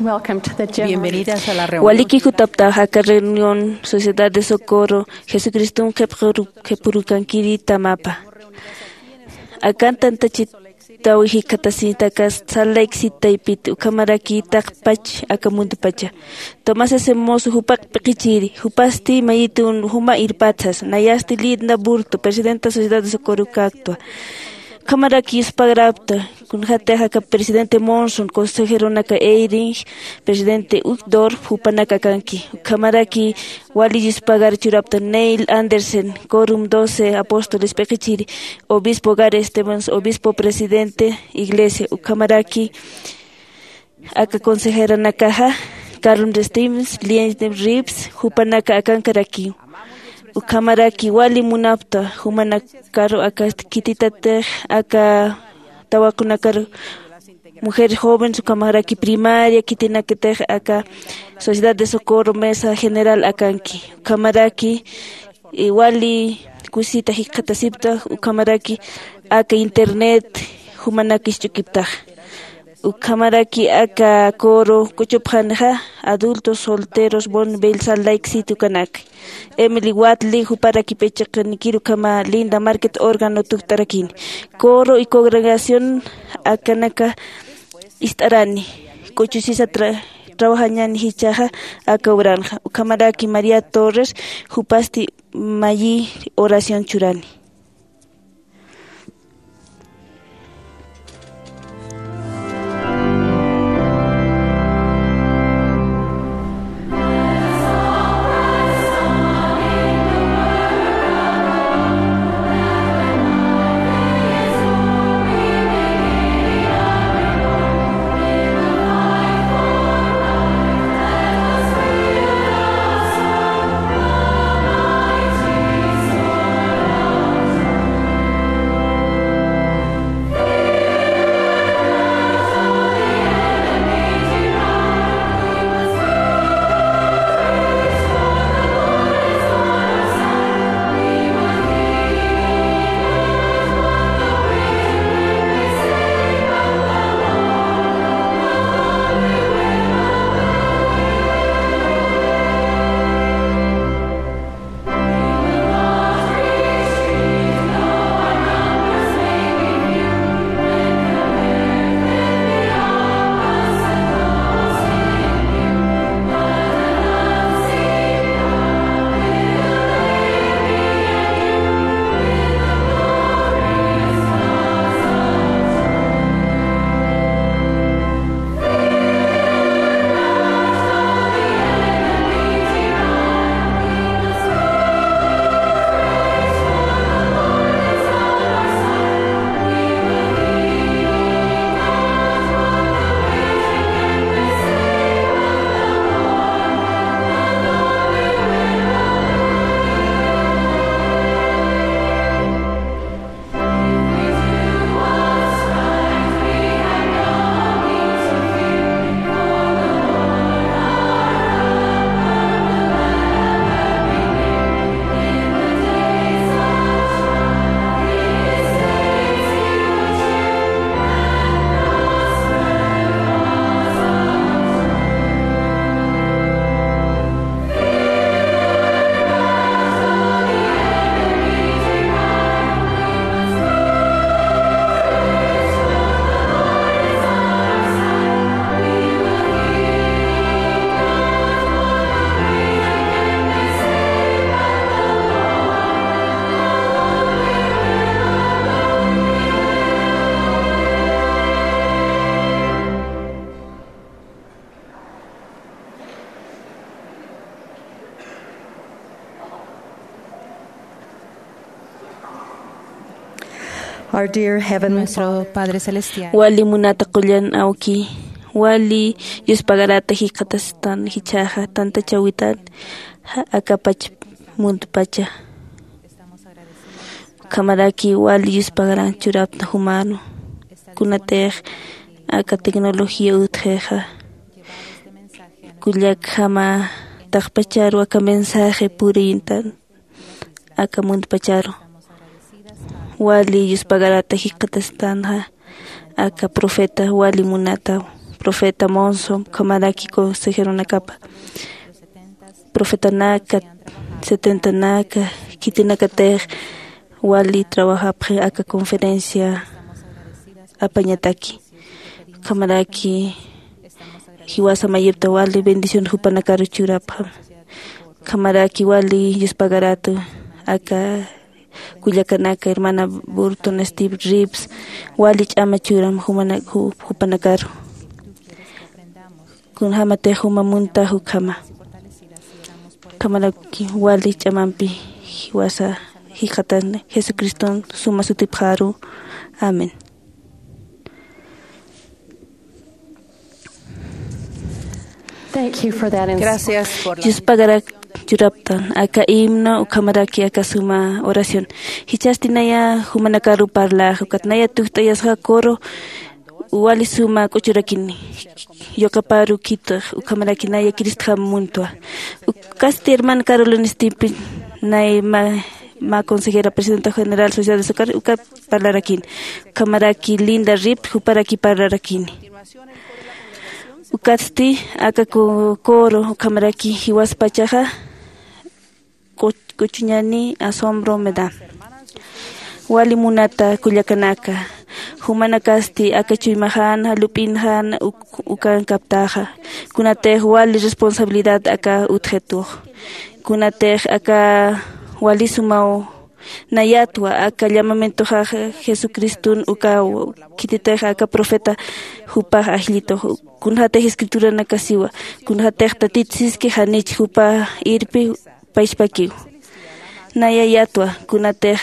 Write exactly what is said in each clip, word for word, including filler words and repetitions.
Welcome to the general. Bienvenidas a la reunión. Waliki jutaptax aka reunión Sociedad de Socorro Jesucriston qhipquru-, qhipurukankiri tamapa. Akan tantachitaw jikxatasitaka Salt Lake City taypit, ukhamaraki taqpach aka mundupacha. Tomás S. Monson jupax p'iqichiri, jupasti mayitun juma irpatsas, nayasti Linda Burton, presidenta Sociedad de Socorro ukaktwa. Ukhamaraki yuspagarapta, kunjatix aka presidente Monson, consejeronaka Eyring, presidente Uchtdorf, jupanaka akanki. Ukhamaraki wali yuspagar churapta Neil Andersen, Quorum Doce Apóstoles p'iqichiri, obispo Gary Stevens, obispo presidente iglesia. Ukhamaraki aka consejeranakaxa, Carolyn Stevens, Lynn Reeves, jupanaka akankarakiw. Ukhamaraki wali munapta, jumanakaru aka khititatix, aka tawaqunakaru, mujeres jóvenes, ukhamaraki primaria, khitinakatix aka Sociedad de Socorro Mesa General akanki. Ukhamaraki, eh, wali kusita jikxatasipta, ukhamaraki aka internet jumanakis ch'ukiptax. Ukhamaraki aka coro kuchupxanixa, adultos solteros Bonneville Salt Lake City ukanak. Emily Watley, juparakipï chiqanikir, ukhama Linda Market órgano tukt'arakini. Coro y congregación akanaka ist'arani. K'uchusisa tra-, trabajañäni jichhaxa aka obranxa. Ukhamaraki María Torres, jupasti mayi oración churani. Our dear Heavenly Father. Nuestro Padre Celestial. Wali munata qullan awki, wali yuspagarata jikxatastan jichhaxa tantachäwitan, ja, akapach mundupacha. Ukhamaraki wali yuspagaran churapta jumanu. Kunatix aka tecnología utjixa, kullakjama taqpacharu aka mensaje puriyintan aka mundupacharu. Wali yuspagarata jikxatastanxa aka profeta wali munataw. profeta Monson, ukhamaraki consejeronakapa, profetanaka, setentanaka, khitinakatix wali trabajapxi aka conferencia apañataki. Ukhamaraki jiwasa mayipta wali bendición jupanakaru churapxam. Ukhamaraki wali yuspagaratu aka kullakanaka, hermana Burton, Steve Reeves, wali ch'ama churam jumana-, ju-, jupanakaru. Kunjämatix juma munta ukhama. Ukhamaraki wali ch'amampi jiwasa jikxatan Jesucriston suma sutipxaru. Amén. Thank you for that ins- Gracias por la Yuspagarak churaptan aka himno ukhamaraki aka suma oración. Jichhasti naya jumanakaru parlax, ukat naya tukt'ayasxa coro wali suma k'uchurakini. Yuqaparu khitix, ukhamaraki naya Cristjam muntwa. Ukasti hermana Carolina Stipi, nay ma, ma consejera presidenta general Sociedad de Socorro, uka parlarakini. Ukhamaraki Linda Rip, juparaki parlarakini. Ukatsti aka co-, coro, ukhamaraki jiwaspachaxa, k'u-, k'uchuñani asombro me da. Wali munata kullakanaka, jumanakasti aka chuymaxan, lup'inxan, uk-, ukankaptaxa. Kunatix wali responsabilidad aka utjitux. Kunatix aka wali sumaw nayatwa aka llamamientoxa Jesucriston ukaw, khititix aka profeta jupax ajllitux. Kunjatix escrituranakasiwa, kunjatix Tatit siski janich jupa irpi pachpakiw. Naya yatwa, kunatix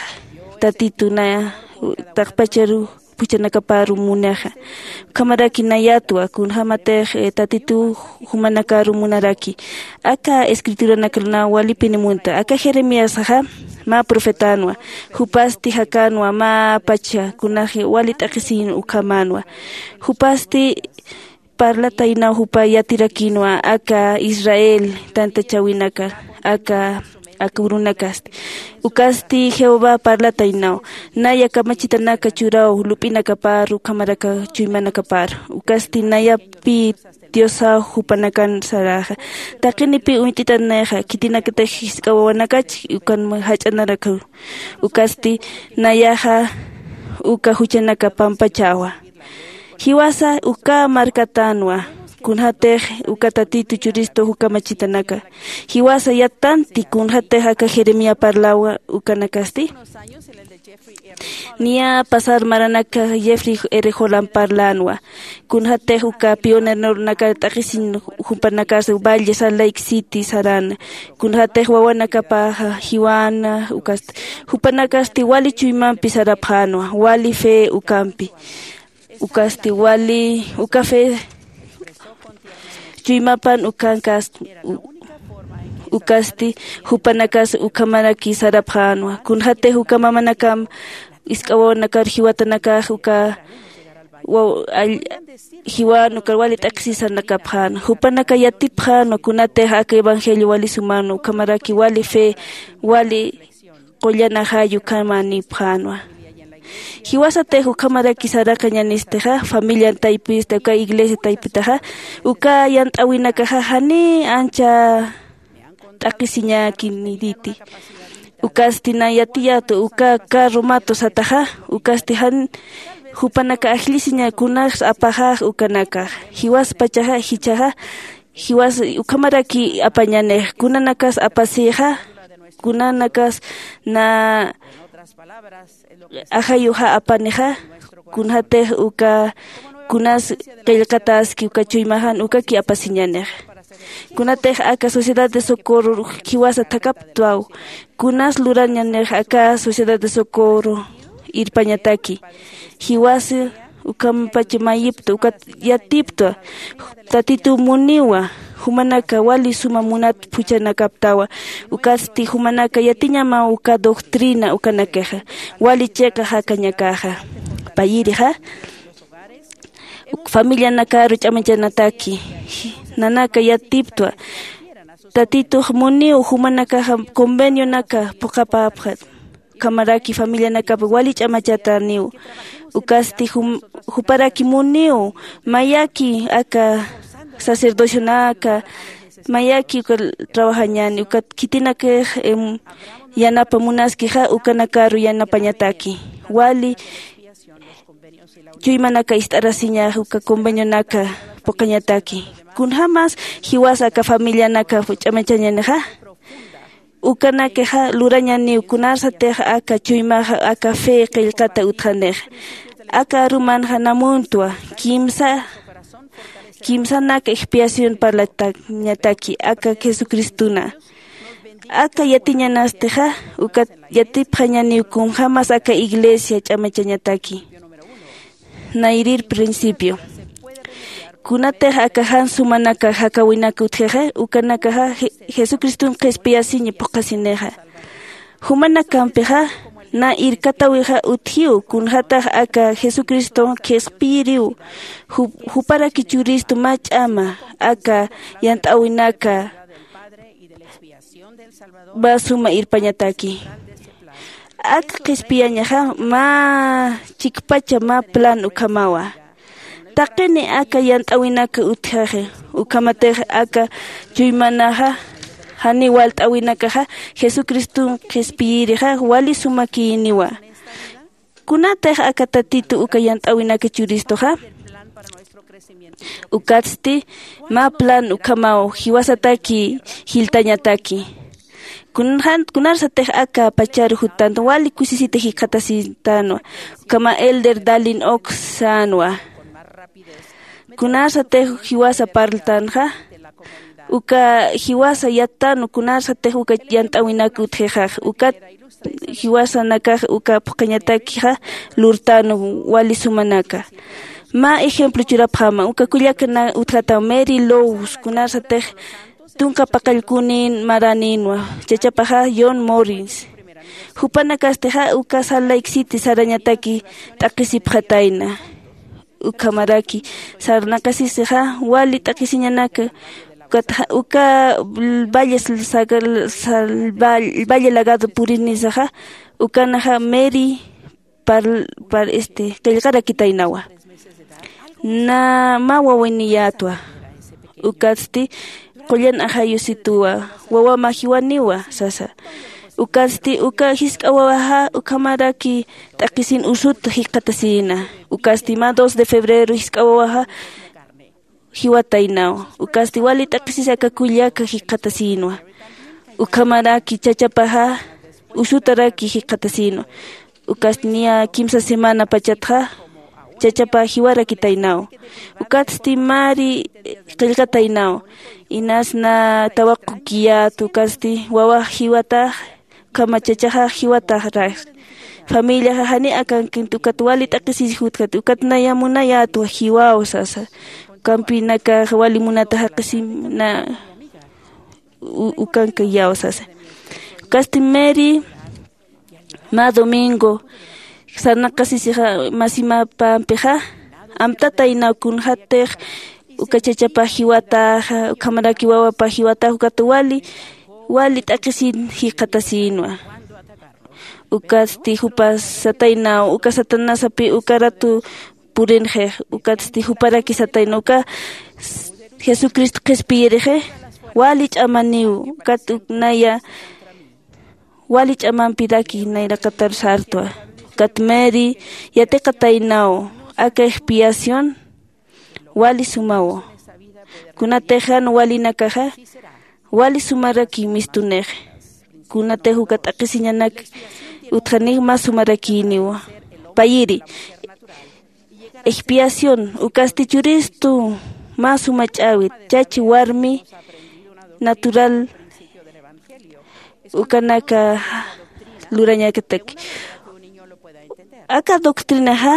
Tatitu naya taqpacharu phuchhanakaparu munixa. Ukhamaraki nayatwa, kunjämatix, eh, Tatitu jumanakaru munaraki. Aka escrituranakar na walipini munta. Aka Jeremiasaxa mä profetanwa. Jupasti jakänwa mä pacha, kunax wali t'aqhisiñ ukhamänwa. Jupasti parlataynaw jupa yatirakinwa aka Israel tantachäwinaka, aka, aka urunakasti. Ukasti Jehová parlataynaw. Naya kamachitanaka churaw lup'inakapar, ukhamaraka chuymanakapar. Ukasti nayapï Diosaw jupanakan saraxa. Taqinipi uñt'itanayxa, khitinakatix jisk'a wawanakach, ukan jach'anarakaw. Ukasti nayaxa uka juchanaka pampachäwa. Jiwasa uka markatanwa, kunjatix uka Tatitu churistu uka machitanaka. Jiwasa yattanti kunjatix aka Jeremías parlawa ukanakasti. Niya pasar maranaka Jeffrey R. Holland parlanwa. Kunjatix uka pioneronaka t'aqhisiñ jupanakas Valle Salt Lake City saran. Kunjatix wawanakapaxa jiwana ukasti. Jupanakasti wali chuymampi sarapxänwa, wali fe ukampi. Ukasti wali, uka fe chuymapan ukankas, u-, ukasti jupanakas ukhamaraki sarapxänwa. Kunjatix uka mamanakam isk'a wawanakar jiwatanakax uka waw-, all-, jiwan ukar wali t'aqhisisanakapxän. Jupanaka yatipxänwa kunatix aka evangelio wali suman ukhamaraki wali fe, wali qullan ajayu ukhamanipxänwa. Jiwasatix ukhamaraki saraqañanistixa, familian taypista, uka iglesia taypitaxa, uka yant'äwinakaxa janiy ancha t'aqhisiñakiniriti. Ukasti na yatiyätu uka carro mato sataxa, ukasti jan jupanaka ajllisiña kunax apaxax ukanakax. Jiwaspachaxa, jichhaxa, jiwas ukhamaraki apañanix, kunanakas apasixa, kunanakas na ajayuxa apanixa, kunjatix uka kunas qillqataski uka chuymaxan ukaki apasiñanix. Kunatix aka Sociedad de Socorro jiwasa thakaptwaw, kunas lurañanix aka Sociedad de Socorro irpañataki. Jiwasa ukhampach mayipta, ukat yatiptwa, Tatitu muniwa, jumanaka wali suma munat phuchhanakaptawa, ukatsti jumanaka yatiñamaw uka doctrina ukanakixa, wali chiqa jakañakaxa. Payïrixa, familianakaru ch'amanchanataki, nanaka yatiptwa, Tatitux muniw jumanakaxa convenionaka phuqhapäpxta. Ukhamaraki familianakap wali ch'amachataniw. Ukasti jum- juparaki muniw mayaki aka sacerdocionaka, mayaki uka trabajañani ukat khitinakix em, yanapa munaskixa ukanakaru yanapañataki. Wali chuymanaka ist'arasiñax uka convenionaka puqañataki. Kunjämas jiwasa aka familianaka ch'amachañanixa, ukanakixa lurañaniw kunarsatix aka chuymaxa aka fe qillqata utjanix. Aka arumanxa namuntwa kimsa kimsanak expiación parlatañataki aka jesucristona. Aka yatiñanastixa ukat yatipxañaniw kunjämas aka iglesia ch'amachañataki. Nayrir principio kunatix aka jan sumanaka jakäwinak utjixa ukanakaxa Je- jesucriston qhispiyasiña phuqhasinixa. Jumanakampixa na irkatäwixa utjiw kunjätax aka jesucriston qhispiyiriw. Ju- juparaki churistu mä ch'ama aka yant'äwinaka mä suma irpañataki. Ak qhispiyañaxa mä chikpacha mä plan ukhamawa. Taqini aka yant'äwinaka utjaxi ukhamatix aka chuymanaxa janiw walt'äwinakaxa jesucriston qhispiyirixa wali sumakïniwa. Kunatix aka tatitu uka yant'äwinaka churistuxa ukatsti mä plan ukhamaw jiwasataki jiltañataki. Kunjan kunarsatix aka pacharu juttanwa wali kusisita jikxatasitänwa. Ukhama elder dalin ox sänwa. Kunarsatix jiwasa parltanxa uka jiwasa yattänwa kunarsatix uka yant'äwinak utjixax ukat jiwasanakax uka phuqhañatakixa lurtänwa wali sumanaka. Mä ejemplo churapxäma uka kullaka utjatam mary lows kunarsatix tunka paqallkunin maranïnwa. Chachapaxa john morris. Jupanakastixa uka salt lake city sarañataki t'aqhisipxatayna. Ukhamaraki sarnaqasisixa wali t'aqhisiñanaka. Ukat uka valle valle lagado purinisaxa ukanaxa mary par par este qillqarakitaynawa. Na mä wawiniyätwa ukatsti qullan ajayusituwa wawama jiwaniwa sasa. Ukatsti uka jisk'a wawaxa ukhamaraki t'aqhisin usut jikxatasïna. Ukatsti mä dos de febrero jisk'a wawaxa jiwataynaw. Ukatsti wali t'aqhisis aka kullaka jikxatasïnwa. Ukhamaraki chachapaxa usutaraki jikxatasïnwa. Ukatsti niya kimsa semana pachatxa chachapa jiwarakitaynaw. Ukatsti mari qillqataynaw. Inas na tawaqukiyät ukatsti wawax jiwatax ukhama chachaxax jiwataxrax. Familiaxa jani akankint ukat wali t'aqhisis jutjat ukat naya munayätwa jiwaw sasa. Ukampinakax wali munata jaqisim na ukankayaw sasa. Ukatsti mary mä domingo sarnaqasisixa masimapampixa amtataynaw kunjätix uka chachapa jiwataxa ukhamaraki wawapa jiwatax ukat wali wali t'aqhisin jikxatasïnwa. Ukatsti jupas sataynaw uka satanasapi uka ratu purinxix. Ukatsti juparaki sataynaw uka jesucristo qhispiyirixi wali ch'amaniw ukat naya wali ch'amampiraki nayraqatar sartwa. Ukat mary yatiqataynaw aka expiación wali sumaw. Kunatix jan walinakaxa wali sumaraki mistunix. Kunatix uka t'aqhisiñanak utjanix mä sumarakïniwa. Payiri expiación ukasti churistu mä suma ch'äwit chachi warmi natural ukanaka lurañakataki. Aka doctrinaxa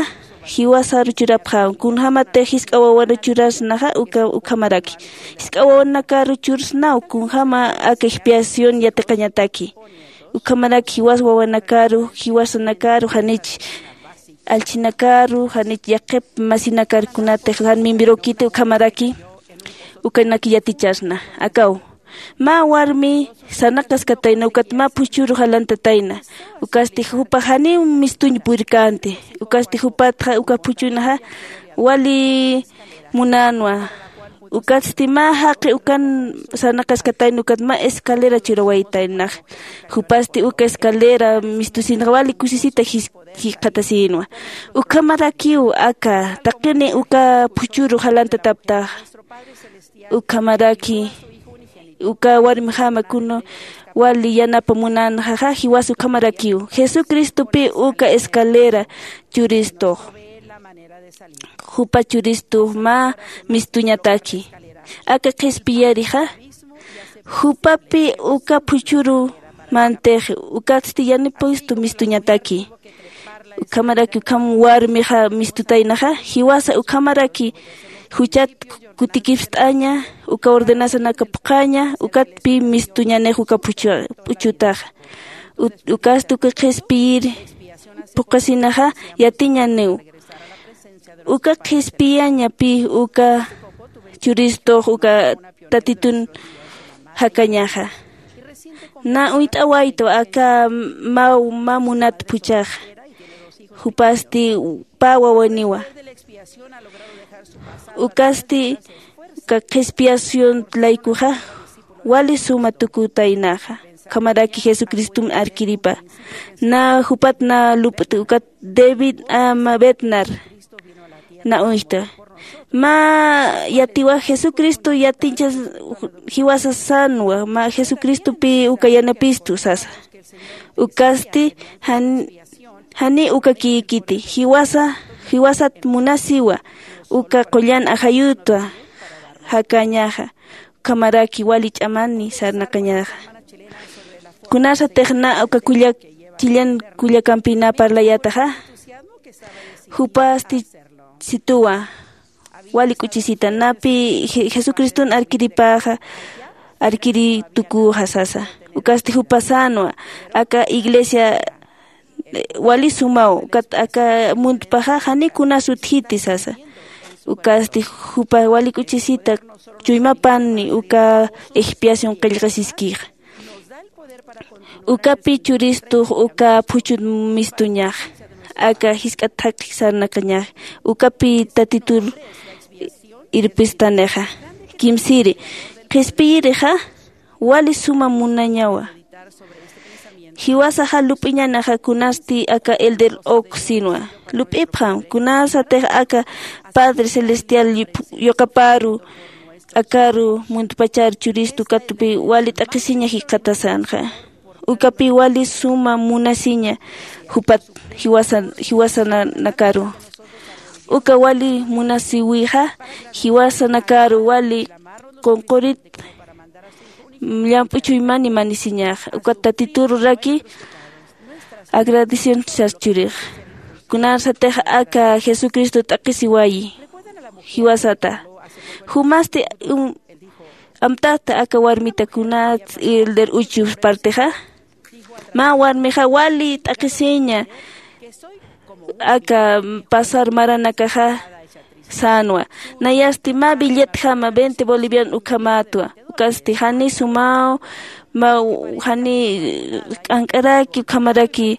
jiwasaru churapxäw kunjämatix jisk'a wawaru churasnaxa uka ukhamaraki jisk'a wawanakaru chursnaw kunjäma aka expiación yatiqañataki. Ukhamaraki jiwas wawanakaru jiwasanakaru janich allchhinakaru janich yaqhip masinakar kunatix jan mimbirukiti ukhamaraki ukanak yatichasna. Akaw Mä warmi sarnaqaskatayna ukat mä phuchhüru jalantatayna. Ukasti jupax janiw mistuñ purkänti. Ukasti jupatxa uka phuchhunxa wali munänwa. Ukatsti mä jaqi ukan sarnaqaskatayna ukat mä escalera churawaytaynax. Jupasti uka escalera mistusinxa wali kusisita jis- jikxatasïnwa. Ukhamarakiw aka taqini uka phuchhüru jalantataptaxa. Ukhamaraki uka warmixama kuna wali yanapa munänxaxa jiwas ukhamarakiw. Jesucristopï uka escalera churistux. Jupa churistux mä mistuñataki. Aka qhispiyirixa jupapï uka phuchhüru mantixi. Ukatsti yanipistu mistuñataki. Ukhamaraki ukham warmixa mistutaynaxa jiwasa ukhamaraki juchat kutikipst'aña uka ordenanzanaka phuqhaña. Ukatpï mistuñanix uka phuchhutaxa. Ukasti uka qhispiyir phuqhasinaxa yatiñaniw. Uka qhispiyañapï uka churistux uka tatitun jakañaxa. Nä uñt'awaytu aka mä mä munat phuchhaxa. Jupasti pä wawaniwa. Ukasti uka qhispiyación laykuxa wali suma tukutaynaxa. Ukhamaraki jesucristom arkiripa. Nä jupat nä lup'ti ukat david ama bednar nä uñjta. Mä yatiwa jesucristo yatiñchas jiwasa sänwa mä jesucristopï uka yanapistu sasa. Ukasti janiw uka kïkiti jiwasa jiwasat munasiwa uka qullan ajayutwa jakañaxa. Ukhamaraki wali ch'amani sarnaqañaxa. Kunasatix nä uka kullak chillan kullakampï nä parlayätaxa. Jupasti situwa wali k'uchisita napï jesucriston arkiripäxa arkiri tuküxa sasa. Ukasti jupa sänwa aka iglesia wali sumaw ukat aka muntpaxa janiw kunas utjiti sasa. Ukasti jupa wali k'uchisita chuymapani uka expiación qillqasiskixa. Ukapï churistux uka phuchhut mistuñax aka jisk'at thakhi sarnaqañax. Ukapï tatitur irpistanixa. Kimsiri qhispiyirixa wali suma munañawa. Jiwasaxa lup'iñanaxa kunasti aka elder oxinwa lup'ipxam kunasatix aka padre celestial yuqaparu akaru muntpachar churistu katpi wali t'aqhisiña jikxatasanxa. Ukapi wali suma munasiña jupat jiwasanakaru. Uka wali munasiwixa jiwasanakaru wali qunqurit llamp'u chuymani manisiñaxa ukat tatitururaki agradecen sas churix. Kunarsatix aka jesucristo t'aqhisiwayi jiwasata. Jumasti amtata aka warmita kunats elder uchu partixa. Mä warmixa wali t'aqhisiña aka pasar maranakaxa sänwa. Nayasti mä billetjama veinte bolivian ukhamätwa. Ukasti jani sumaw mä jani k'ank'araki ukhamaraki.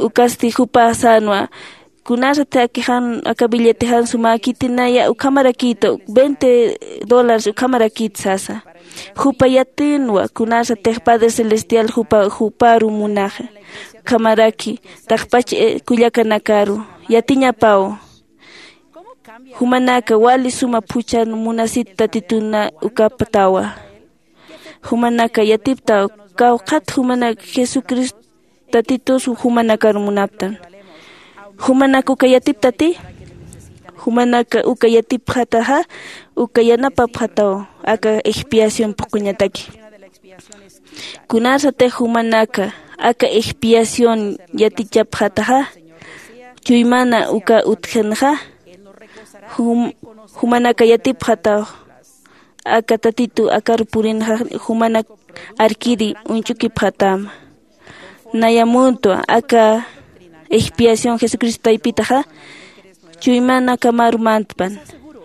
Ukasti jupa sänwa kunasati akixan aka billetejan sumäkiti naya ukhamarakïtwa veinte dólares ukhamarakït sasa. Jupa yatïnwa kunasatix padre celestial jupa juparu munaxa. Ukhamaraki taqpach kullakanakaru yatiñapaw. Jumanaka wali suma phuchhan munasit tatituna ukaptawa. Jumanaka yatiptaw kawqhat jumanak jesucristo tatitus jumanakar munaptan. Jumanak uka yatiptati? Jumanaka uka yatipxataxa uka yanapapxataw aka expiación phuqhuñataki. Kunarsatix jumanaka aka expiación yatichapxataxa chuymana uka utjinxa jumanaka yatipxataw aka tatitu akar purinxa jumanak arkiri uñch'ukipxatama. Naya muntwa aka expiación jesucristo taypitaxa chuymanakamaru mantpan.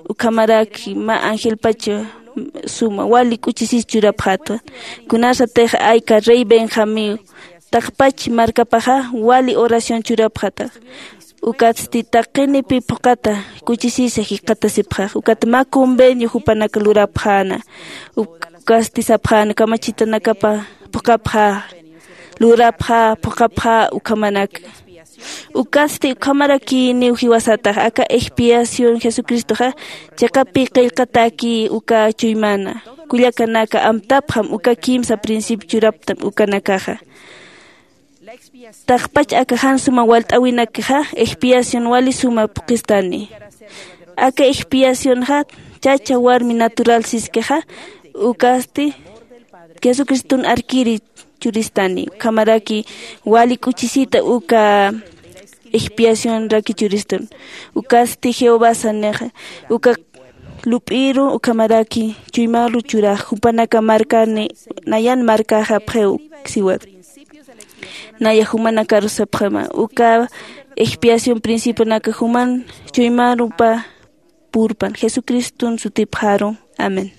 Ukhamaraki mä angelpacha suma wali k'uchisis churapxätwa. Kunasatix ayka rey Benjamiw taqpach markapaxa wali oración churapxatax. Ukatsti taqinipi phuqata kuchisisa jikxatasipxax. Ukat mä convenio jupanaka lurapxäna. Ukasti sapxäna kamachitanakapa phuqapxä, lurapxä, phuqapxä ukhamanaka. Ukatsti ukhamarakïniw jiwasatax aka expiación Jesucristoxa chiqapi qillqatäki uka chuymana. Kullakanaka, amtapxam uka kimsa principio churaptam ukanakaxa. Taqpach aka jan suma walt'äwinakxa expiación wali suma phuqistani. Aka expiacionxa chacha warmi natural siskixa, ukasti Jesucriston arkiri churistani. Ukhamaraki wali k'uchisita uka expiacionraki churistan. Ukasti Jehová sanixa uka lup'iru ukhamaraki chuymaru churax jupanaka markani, nayan markaxa pxiw siwat. Naya jumanakaru sapxama uka expiación principionaka juman chuymarupa purpan. Jesucriston sutipxaru. Amén.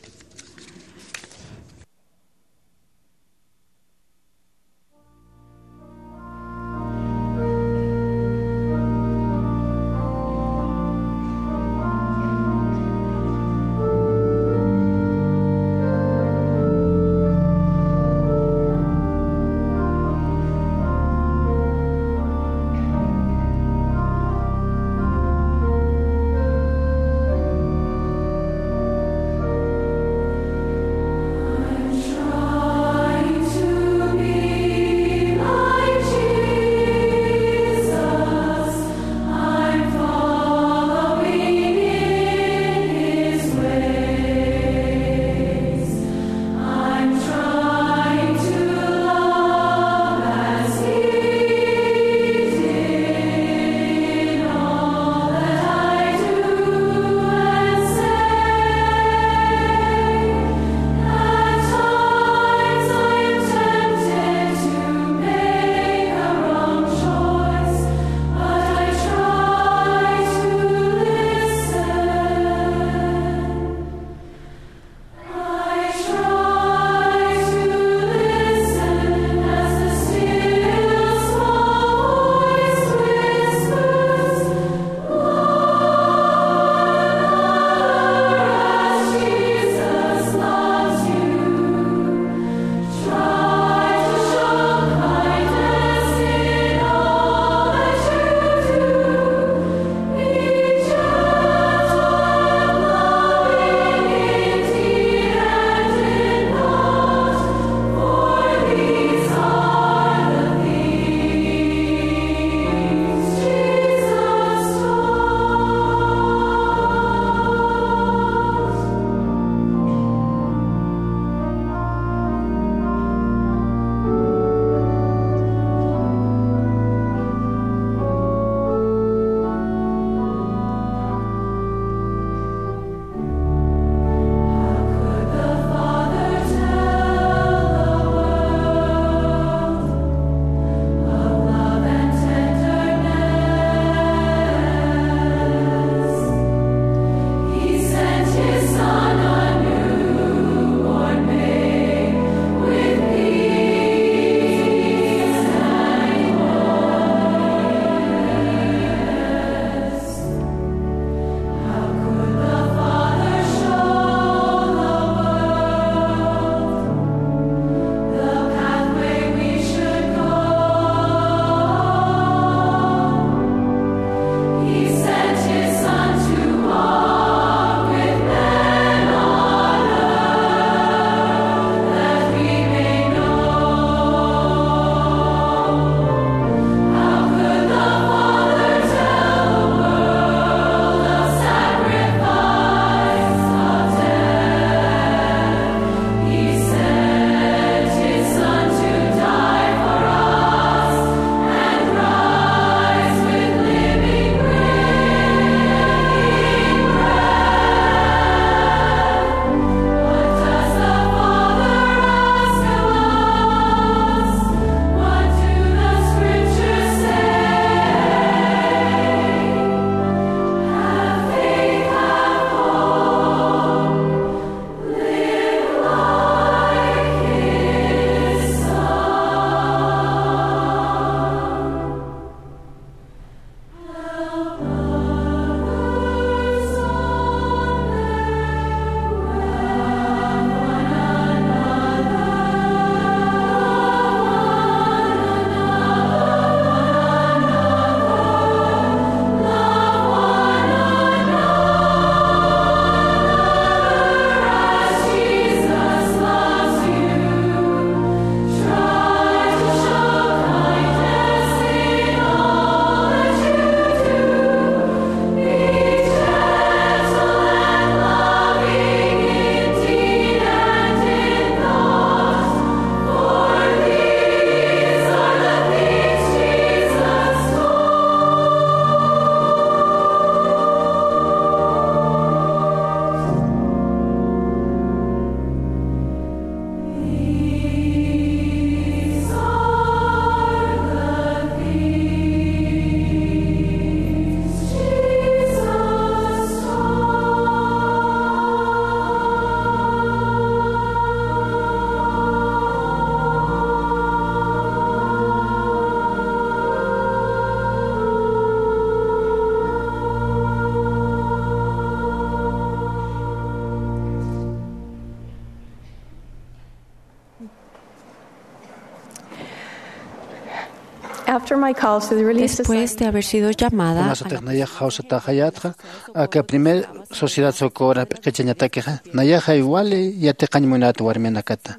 After my call to the Relief Después de Society, haber sido llamada a la Kunasatix nayax jawsataxayätxa aka primer Sociedad Socorro p'iqichañatakixa, nayaxay wali yatiqañ munat warminakata.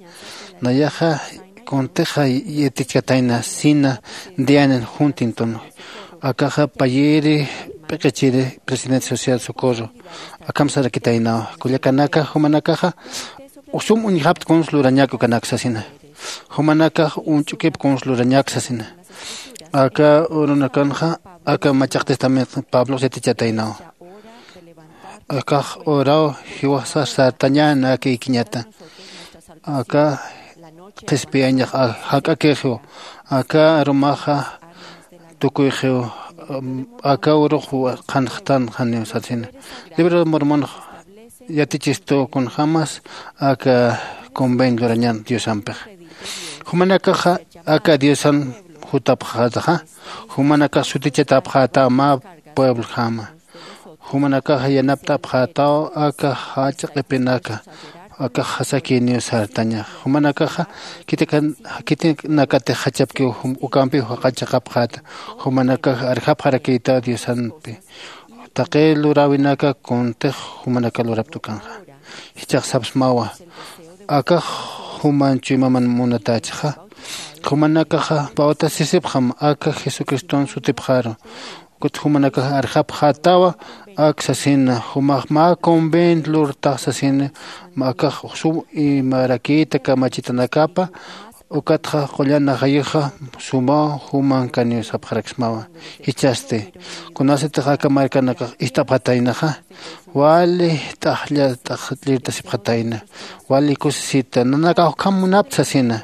Nayaxa kuntixa yatichkatayna Sina Dianen Huntington, akaxa payiri p'iqichiri presidente Sociedad Socorro. Akham sarakitaynawa, kullakanaka, jumanakaxa sum uñjapta kuns lurañak ukanak sasina. Jumanakax uñch'ukip kuns lurañak sasina. Aka urunakanxa aka Machaq Testamento Pablox yatichataynawa. Akax uraw jiwasa sartañäna aka ikiñata. Aka qhispiyañax jak'akixiw. Aka arumaxa tukuyxiw. Aka urux qhanxtan janiw satsina. Libro de Mormon yatichistu kunjämas aka convenio lurañan Diosampix. Jumanakaxa aka Diosan jutapxätaxa, jumanakax sutichatapxätaw mä pueblojama. Jumanakaxa yanapt'apxätaw aka jach'a q'ipinaka, aka jasakïniw sartañax. Jumanakaxa khitinakatix jachapkiw, ukampiw jaqachaqapxäta. Jumanakax arjapxarakïtaw Diosampi. Taqi luräwinaka kuntix jumanaka luraptukanxa. Jichhax sapsmawa, akax juman chuymaman munatächixa. Jumanakaxa bautisisipxam aka Jesucriston sutipxaru. Ukat jumanakax arjapxätawa ak sasina, jumax mä convenio lurtax sasina, akax sum imarakïta kamachitanakapa. Ukatxa qullan ajayuxa sumaw jumankaniw sapxaraksmawa. Jichhasti, kunasatix aka markanakax ist'apxataynaxa, wali t'aqlla t'aqllirtasipxatayna, wali kusisita, nanakax ukham munapta sasina.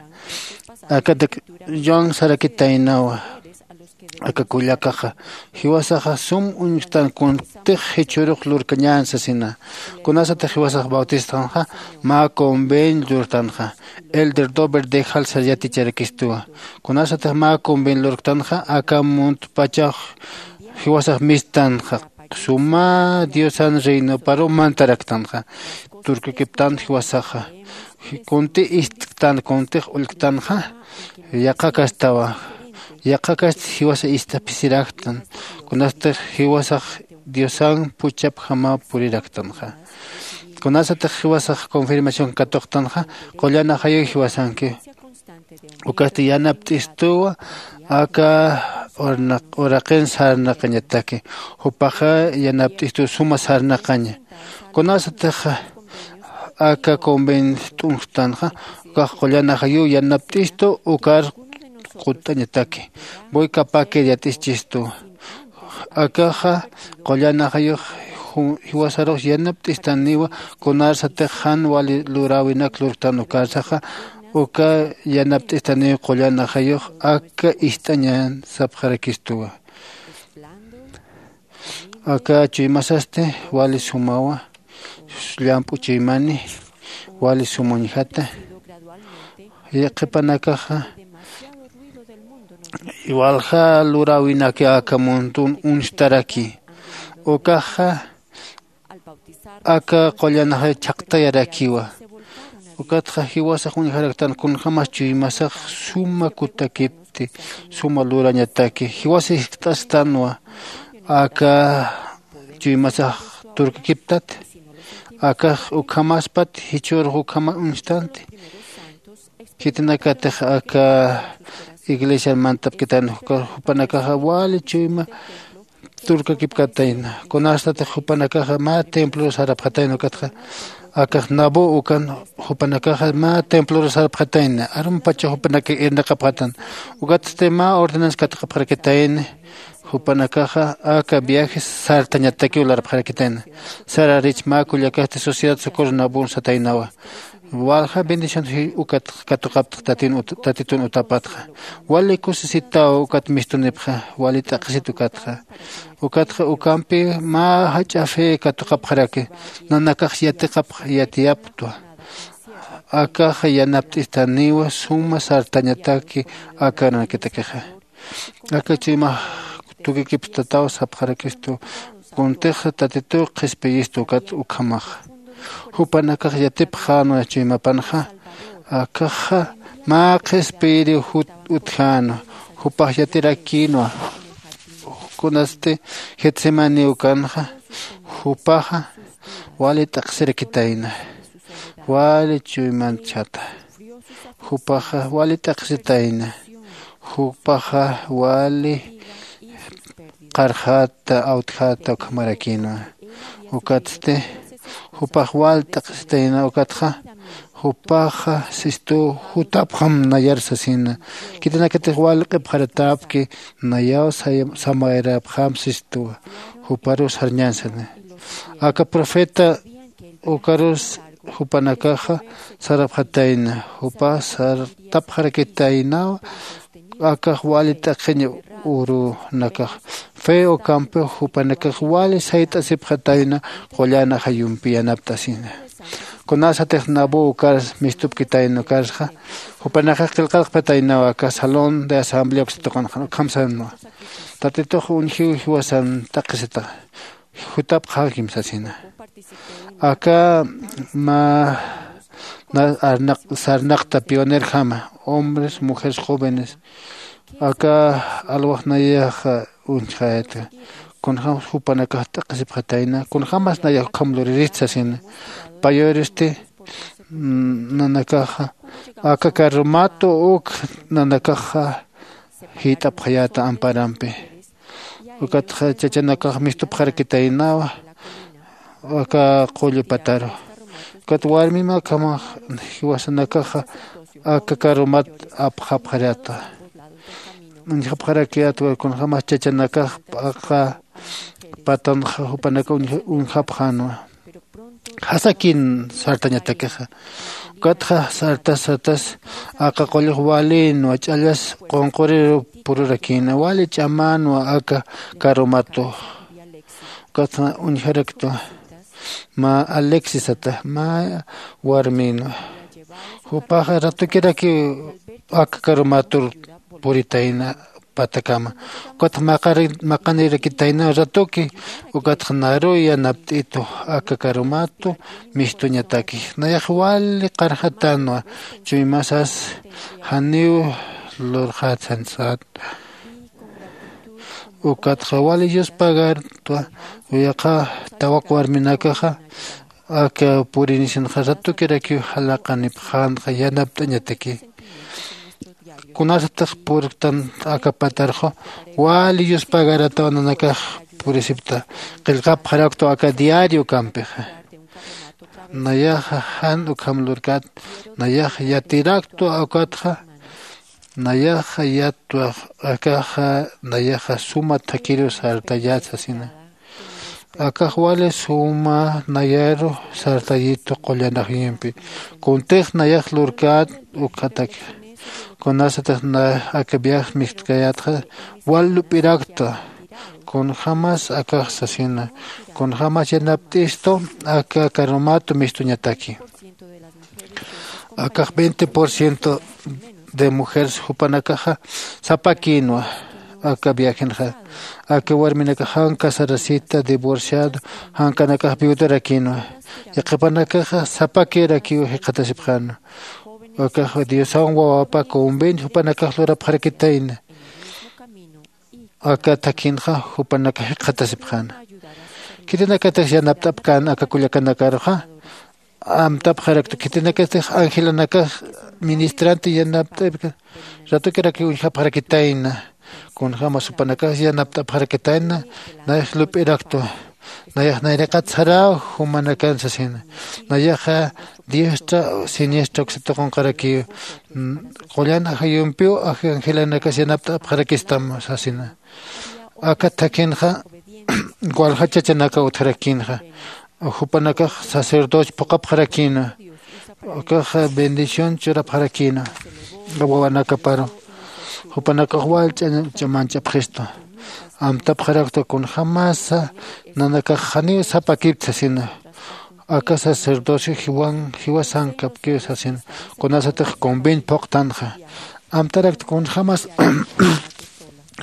Akatak Joan sarakitaynawa, aka kullakaxa jiwasaxa sum uñjtan kuntix jichhürux lurkañän sasina. Kunasatix jiwasax bautistanxa mä convenio lurtanxa, Elder Dober de Halsar yaticharakistuwa. Kunasatix mä convenio lurktanxa aka muntpachax jiwasax mistanxa, suma Diosan reinoparu mantaraktanxa. Turkukiptan jiwasaxa, kunti istktan kuntix ullktanxa, yaqhakastawa. Yaqhakast jiwasa ist'apisiraktan. Kunastix jiwasax Diosan puchapjama puriraktanxa. Kunasatix jiwasax confirmación katuqtanxa, qullan ajayuw jiwasanki. Ukasti yanapt'istuwa aka uraqin sarnaqañataki. Jupaxa yanapt'istuw suma sarnaqaña. Kunasatix aka convenio t'unjtanxa, ukax qullan ajayuw yanapt'istu ukar qutt'añataki. Voy capakir yat'ischistu. Akaxa qullan ajayux jiwasarux yanapt'istaniwa, kunarsatix jan wali luräwinak lurktan ukarsaxa, uka yanapt'istaniw qullan ajayux aka ist'añan sapxarakistuwa. Aka chuymasasti wali sumawa, llamp'u chuymani, wali sum uñjata. Qhipanakaxa walja luräwinaki aka muntun uñjtaraki. Ukaxa aka qullanaxa chhaqtayarakiwa. Ukatxa jiwasax uñjaraktan kunjämas chuymasax suma kutakipti, suma lurañataki. Jiwasa jiskt'astanwa aka chuymasax turkakiptat, akax ukhamaspat jichhürux ukhama uñstanti. Khitinakatix aka iglesiar mantapkitan jupanakaxa wali chuyma turkakipkatayna. Kunastatix jupanakaxa mä templor sarapxatayna ukatxa, akax Nabú ukan jupanakaxa mä templor sarapxatayna. Arumpachax jupanakax irnaqapxatan. Ukatsti mä ordenanza katuqapxarakitayna. Jupanakaxa aka viajes sartañatakiw larapxarakitayna. Sararich mä kullakasti Sociedad Socorro Nabun sataynawa. Walja bendición ukat katuqaptx Tatitun utapatxa. Wali kusisitaw ukat mistunipxa, wali t'aqhisit ukatxa. Ukatxa ukampi mä jach'a fe katuqapxaraki, nanakax yatiqapx yatiyaptwa. Akaxa yanapt'istaniwa suma sartañataki aka arunakitakxa. Aka chuymax tukikipstataw sapxarakistu, kuntix Tatituw qhispiyistu ukat ukhamaxa. Jupanakax yatipxänwa chuymapanxa, akaxa mä qhispiyiriw utjänwa. Jupax yatirakïnwa. Kunasti getsemani ukanxa jupaxa wali t'aqsirakitayna, wali chuymanchata. Jupaxa wali t'aqsitayna, jupaxa wali qarxata awtjata ukhamarakïnwa. Ukatsti jupax wal t'aqsitayna ukatxa jupaxa sistu jutapxam nayar sasina. Khitinakatix wal q'ipxaratäpki nayaw samayarapxam sistuwa. Juparus sarñansani aka profeta ukarus jupanakaxa sarapxatayna jupa sartapxarakitaynawa. Akax wali t'aqhiñ urunakax fe ukampix jupanakax wali sayt'asipxatayna. Qullan ajayumpi yanapt'asina kunasatix nabu ukar mistupkitayna ukarsxa jupanakax qillqarqpataynaw aka salón de asamblea uksatuqanxan ukham sanwa. Tatitux uñjiw jiwasan t'aqhisita jutapxäkim sasina. Aka mä sarnaqta pionerjama hombres mujeres jóvenes aka alwax nayaxa uñjayata. Kunjämas jupanakax t'aqhisipxatayna kunjämas nayax ukham luririst sasina. Payuristi nanakaxa aka carromatu uk nanakaxa jït'apxayäta amparampi. Ukatxa chachanakax mistupxarakitaynawa aka qullu pataru. Ukat warmim akhamax jiwasanakaxa aka carromat apxapxarata. Uñjapxarakiyätwa kunjämas chachanakax p'aqa patanxa jupanaka uñjapxänwa. Jasakin sartañatakixa. Ukatxa sartas sartas aka qullux walïnwa ch'allas qunquriru pururakïna wali ch'amänwa aka carromatu. Ukatxa uñjaraktwa mä alexisata mä warmïnwa. Jupaxa ratukirakiw aka carromatur puritayna patakama. Ukatxa maqanirakitayna ratuki. Ukatxa naruw yanapt'itu aka carromatu mistuñataki. Nayax wali qarxatänwa chuymasas janiw lurxät sansät. Ukatxa wali yuspagartwa. Yaqha tawak warminakaxa aka purinisinxa ratukirakiw jalaqanipxänxa yanapt'añataki. Kunasatix purktan aka patarxu wali yuspagarataw nanakax purisipta qillqapxaraktwa aka diario ukampixa. Nayaxa jan ukham lurkat nayax yatiraktwa ukatxa nayaxa yatwax akaxa nayaxa suma thakhiru sartayät sasina. Akax wali suma nayaru sartayitu qullan ajayumpi. Kuntix nayax lurkät ukxatakix kunasatix aka viaje mist'kayätxa wal lup'iraktwa. Kunjämas akax sasina kunjämas yanapt'istu aka carromatu mistuñataki. Akax veinte por ciento de mujeres jupanakaxa sapakïnwa. Aka viajenxa aka warminakax jan casarasita divorciado jankanakax viudarakïnwa. Yaqhipanakaxa sapakirakiw jikxatasipxänwa. Akax diosawan wawapa convenio jupanakax lurapxarakitayna. Aka thakhinxa jupanakax jikxatasipxäna. Khitinakatix yanapt'apkän aka kullakanakaruxa amtapxaraktu khitinakatix angelanakax ministrante yanapt'apkän. Ratukirakiw uñjapxarakitayna. Kunjämas jupanakax yanapt'apxarakitayna. Nayax lup'iraktwa. Nayax nayraqat saräw jumanakan sasina. Nayaxa diestra siniestra uksatuqunqarakiw qullan ajayumpiw angelanakas yanapt'apxarakistam sasina. Aka thakhinxa walja chachanaka utjarakïnxa. Jupanakax sacerdocio phuqhapxarakïna. Ukaxa bendición churapxarakïna wawanakaparu. Jupanakax wal ch'amanchapxistu. Amtapxaraktwa kunjämasa nanakax janiw sapakipta sasina. Aka sacerdocio jiwan jiwasankapkiw sasina. Kunasatix convenio phuqtanxa amtarakta kunjämas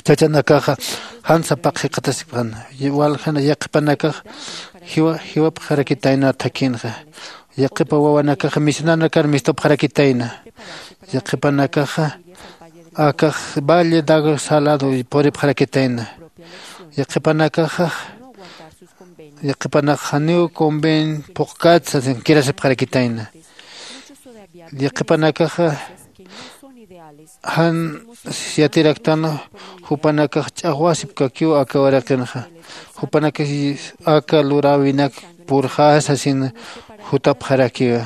chachanakaxa jan sapaq jikxatasipxäna. Waljana yaqhipanakax jiwapxarakitayna thakhinxa. Yaqhipa wawanakaxa misionanakar mistupxarakitayna. Yaqhipanakaxa Akax valle dago salado puripxarakitayna. Yaqhipanakaxa yaqhipanakax janiw conven phuqkät sasin kirasipxarakitayna. Yaqhipanakaxa jan yatiraktan jupanakax ch'axwasipkakiw aka uraqinxa. Jupanakax aka luräwinak purxä sasin jutapxarakiwa.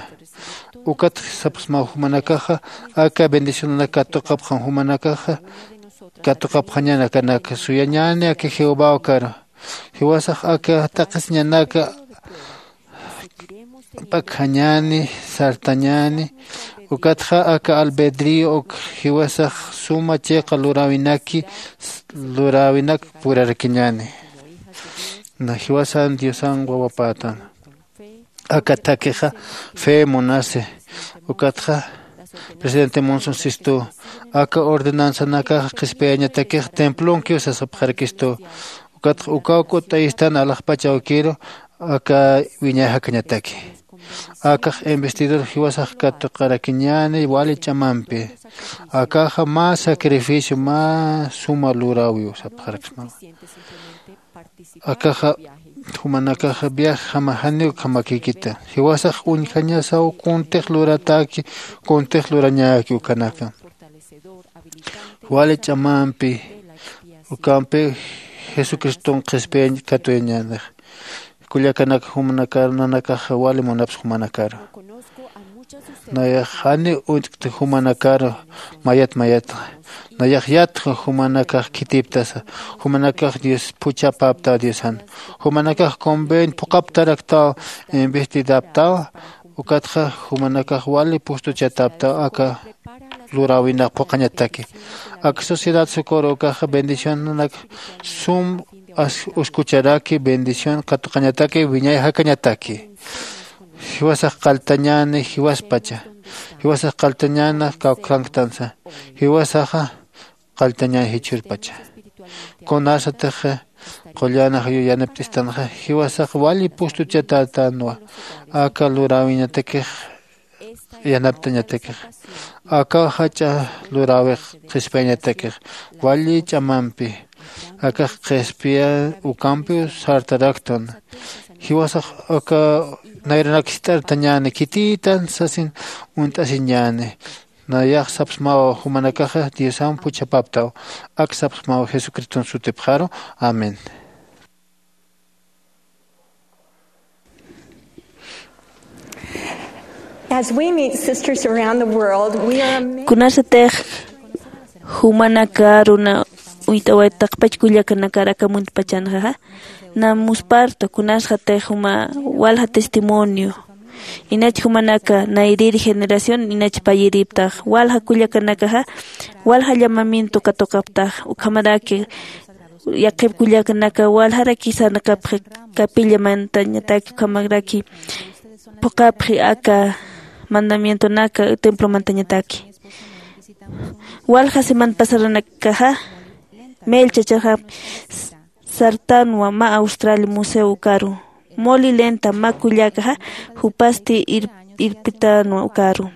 Ukat sapxsmaw jumanakaxa aka bendicionanak katuqapxam jumanakaxa katuqapxañäni akanak suyañäni aka jehovaw karu. Jiwasax aka taqisiñanaka p'akjañäni sartañäni. Ukatxa aka albedrío uk jiwasax suma chiqa luräwinaki luräwinak purarakiñäni. Na jiwasan diosan wawapätan aka thakixa fe munasi. Ukatxa presidente monson sistu aka ordenanzanakaxa qhispiyañatakix templonkiw sasapxarakistu. Ukatxa ukaw k'utt'ayistan alaxpach awkiru aka wiñay jakañataki. Akax investidor jiwasax katuqarakiñäni wali ch'amampi. Akaxa mä sacrificio mä suma luräwiw sapxaraksmawa. Akaxa jumanakaxa viajjama janiw ukhamakïkita. Jiwasax uñjañasaw kuntix lurataki kuntix lurañäki ukanaka. Wali ch'amampi ukampiw jesucriston qhispiyañ katuyañänix. Kullakanak jumanakar nanakaxa wali munapsa jumanakaru. Nayax janiw uñt'kta jumanakaru mayat mayatxa. Nayax yatxa jumanakax khitiptasa. Jumanakax dios phuchhapäptaw diosan. Jumanakax conven phuqaptaraktaw investidaptaw. Ukatxa jumanakax wali pustuchataptaw aka luräwinax phuqhañataki. Aka sociedad socorro ukaxa bendicionanak sum uskucharaki bendición katuqañataki wiñay jakañataki. Jiwasax qalltañäni jiwaspacha. Jiwasax qalltañäna kawkhanktansa. Jiwasaxa qalltañäni jichhürpacha. Kunasatix qullan ajayu yanapt'istanxa jiwasax wali pustuchatätänwa. Aka luräwiñatakix yanaptañatakix akaw jach'a luräwix qhispiyañatakix wali ch'amampi. Akax qhispiya ukampiw sartaraktan. Jiwasax aka nayranak jist'artañäni khitïtan sasin uñt'asiñäni. Nayax sapxsmaw jumanakaxa diosan phuchhapaptaw. Ak sapxsmaw jesucriston sutipxaru. Amén. As we meet sisters around the world, we are amazed. Kunasatix jumanakar una uyt'awaytaqpach kullakanakar aka muntpachanxaxa na muspartu kunasxatix juma walja testimonio. Inach jumanaka nayrir generación inach payiriptax walja kullakanakaxa walja llamamiento katuqaptax ukhamaraki yaqhip kullakanaka waljaraki sarnaqapxi kapillamantañataki ukhamaraki phuqapxi aka mandamientonaka templomantañataki. Walja semana pasaranakaxa melchachaxa sartanwa mä austral museo ukaru moli lenta mä kullakaxa jupasti irpitanwa ukaru.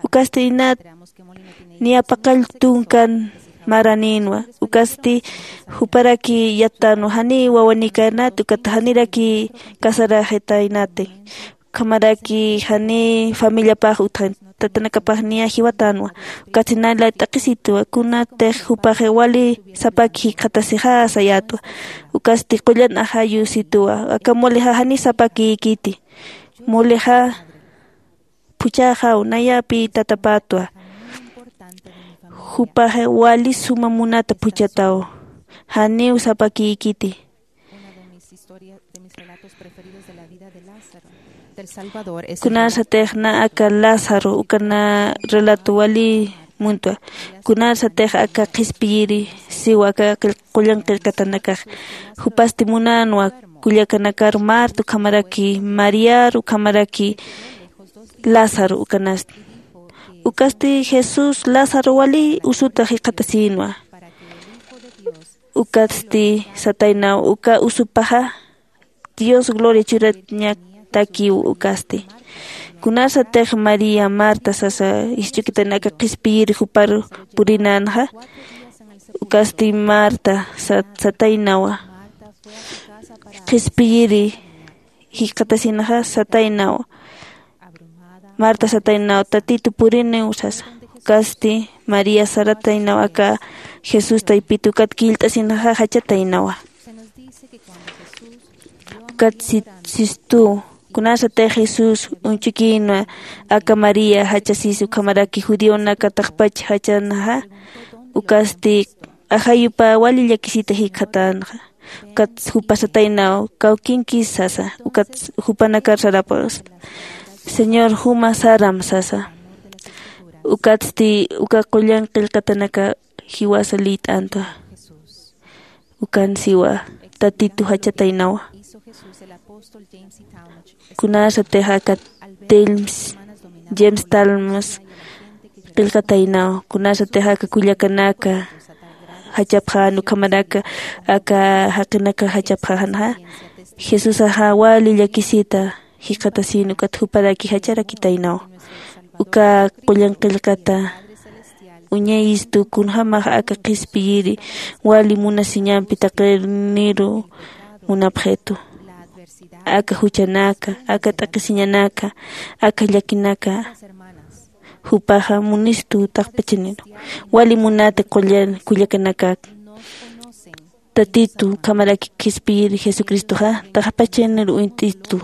Ukasti inat niyapaqall tunkan maranïnwa. Ukasti juparaki yattanwa janiy wawanikanati ukata janiraki casaraxitaynati. Ukhamaraki janiy familiapax utjan tatanakapax niya jiwatanwa. Ukatsi nayla t'aqhisitwa kunatix jupaxi wali sapaki jikxatasixa sayatwa. Ukasti qullan ajayusitwa aka mulixa janiy sapakïkiti. Mulixa phuchhaxaw nayapi tatapatwa. Jupaxi wali suma munata phuchhataw. Janiw sapakïkiti. Kunarsatix na aka lázaro uka na relato wali muntwa. Kunarsatix aka qhispiyiri siwa aka qullan qillqatanakax jupasti munänwa kullakanakar marta ukhamaraki mariar ukhamaraki lázaro ukanasti. Ukasti jesús lázaro wali usuta jikxatasïnwa. Ukatsti sataynaw uka usupaxa dios gloria churatñatakiw. Ukasti Kunasatix maría marta sasa, isch'ukitanaka qhispiyiri jupar purinanxa. Ukasti marta sataynawa, qhispiyiri jikxatasinxa sataynawa. Marta sataynawa tatitu puriniw sasa. Ukasti maría sarataynawa aka jesús taypit ukat killt'asinxa jachataynawa. Ukat sistu kunasatix jesús uñch'ukïnwa aka maría jachasis ukhamaraki judionaka taqpach jachanxa. Ukasti ajayupa wali llakisita jikxatanxa. Ukat jupa sataynaw kawkinkis sasa. Ukat jupanakar sarapxas señor juma saram sasa. Ukatsti uka qullan qillqatanaka jiwasa liyt'antwa. Ukan siwa tatitu jachataynawa. Kunasatix aka telms james talmas qillqataynaw kunasatix aka kullakanaka jachapxän ukhamaraka aka jaqinaka jachapxänxa. Jesusaxa wali llakisita jikxatasin ukat juparaki jacharakitaynaw. Uka qullan qillqata uñayistu kunjämax aka qhispiyiri wali munasiñampi taqiniru munapxitu. Aka juchanaka aka t'aqhisiñanaka aka llakinaka jupaxa munistu taqpachaniru. Wali munati kullakanakak tatitu ukhamaraki qhispiyiri jesucristoxa taqpachaniru uñt'istu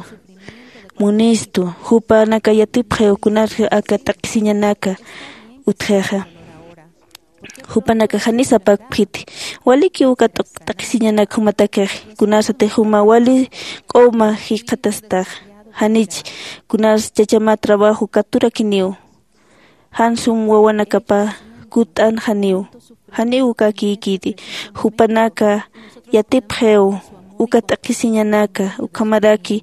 munistu. Jupanaka yatipxiw kunar aka t'aqhisiñanaka utjixa. Jupanaka jani sapakpxiti walikiw uka t'aqhisiñanak jumatakix. Kunasatix juma wali q'uma jikxatastax janich kunas chachama trabajo katurakiniw. Jan sum wawanakapa kutt'anxaniw. Janiw uka kïkiti jupanaka yatipxiw uka t'aqhisiñanaka ukhamaraki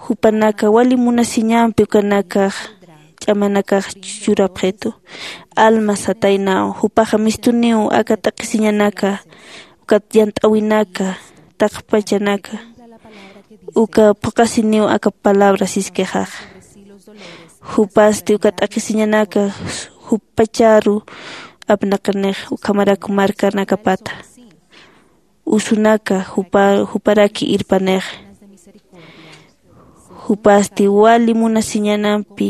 jupanaka wali munasiñampi ukanakax ch'amanakax churapxitu. Alma sataynaw jupaxa mistuniw aka t'aqhisiñanaka ukat yant'äwinaka taqpachanaka uka phuqhasiniw aka palabra siskixaxa. Jupasti uka t'aqhisiñanaka jupacharu apnaqanix ukhamarak markanakapata usunaka juparaki irpanix. Jupasti wali munasiñanampi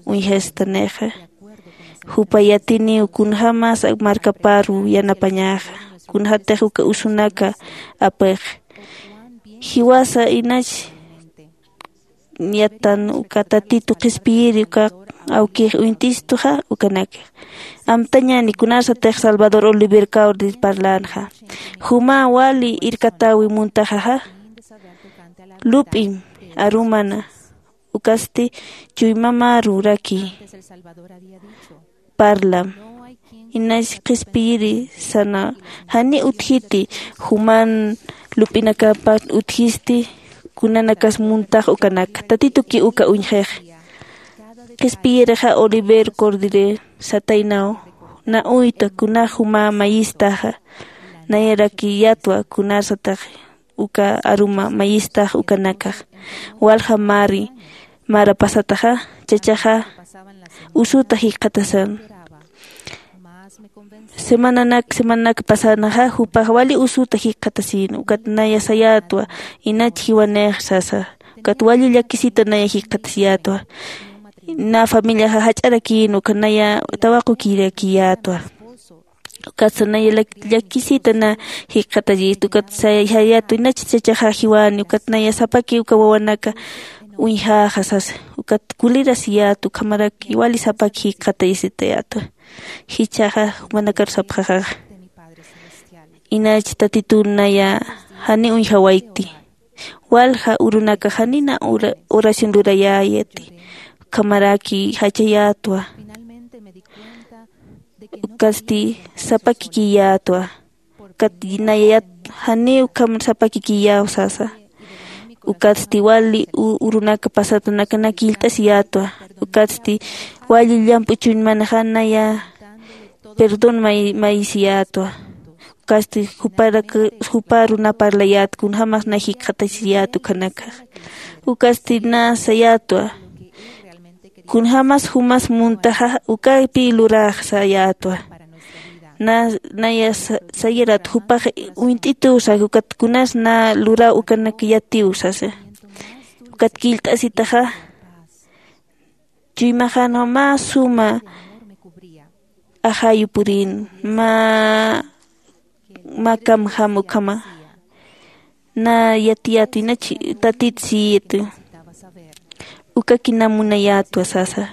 uñjastanixa. Jupa yatiniw kunjämas markaparu yanapañaxa kunjätix uka usunaka apix. Jiwasa inach yatan uka tatitu qhispiyiri uka awkix uñt'istuxa ukanakix. Amtañäni kunasatix salvador oliver caudir parlänxa juma wali irkatäwi muntaxaxa. Lup'im arumana ukasti chuymamaruraki parlam. Inach qhispiyiri sana jani utjiti juman lup'inakapat utjisti kunanakas muntax ukanaka tatituki uka uñjix. Qhispiyirixa oliver cordire sataynaw na uyta kunax juma mayistaxa nayarakiyatwa kunasatax uka aruma mayistax ukanakax. Walja mari mara pasataxa chachaxa usuta jikxatasan. Semananak semananak pasanaxa jupax wali usuta jikxatasin ukat naya sayätwa inach jiwanix sasa. Ukat wali llakisita naya jikxatasiyätwa. Na familiaxa jach'arakïn uka naya tawaqukirakiyätwa. Ukatsa naya llakisita na jikxatayistu ukat sayätwa inach chachaxa jiwani ukat naya sapaki uka wawanaka uñjäxa sasa. Ukat kulirasiyätwa ukhamaraki wali sapaki jikxatayisitayätwa. Jichhaxa jumanakar sapxaxaxa inach tatitun naya jani uñjawayti. Walja urunakax janina oración lurayäyati ukhamaraki jachayätwa. Ukasti sapakikiyätwa ukat nayayat janiw ukham sapakikiyäw sasa. Ukatsti wali urunaka pasatanakanaka illt'asiyätwa. Ukatsti wali llamp'u chuñmanaxa naya perdón mayisiyätwa. Ukasti juparu na parlayät kunjämax na jikxatasiyät ukhanakax. Ukasti na sayätwa Kunjämas jumas muntaxa ukapi luräxsayätwa. Na naya sayirat jupax uñt'itusa ukat kunas na luraw ukanak yatiw sasa. Ukat killt'asitaxa chuymaxanwa mä suma ajayu purin mä mä kamjam ukhama na yatiyätwi na tatit siyiti. Ukaki na munayätwa sasa.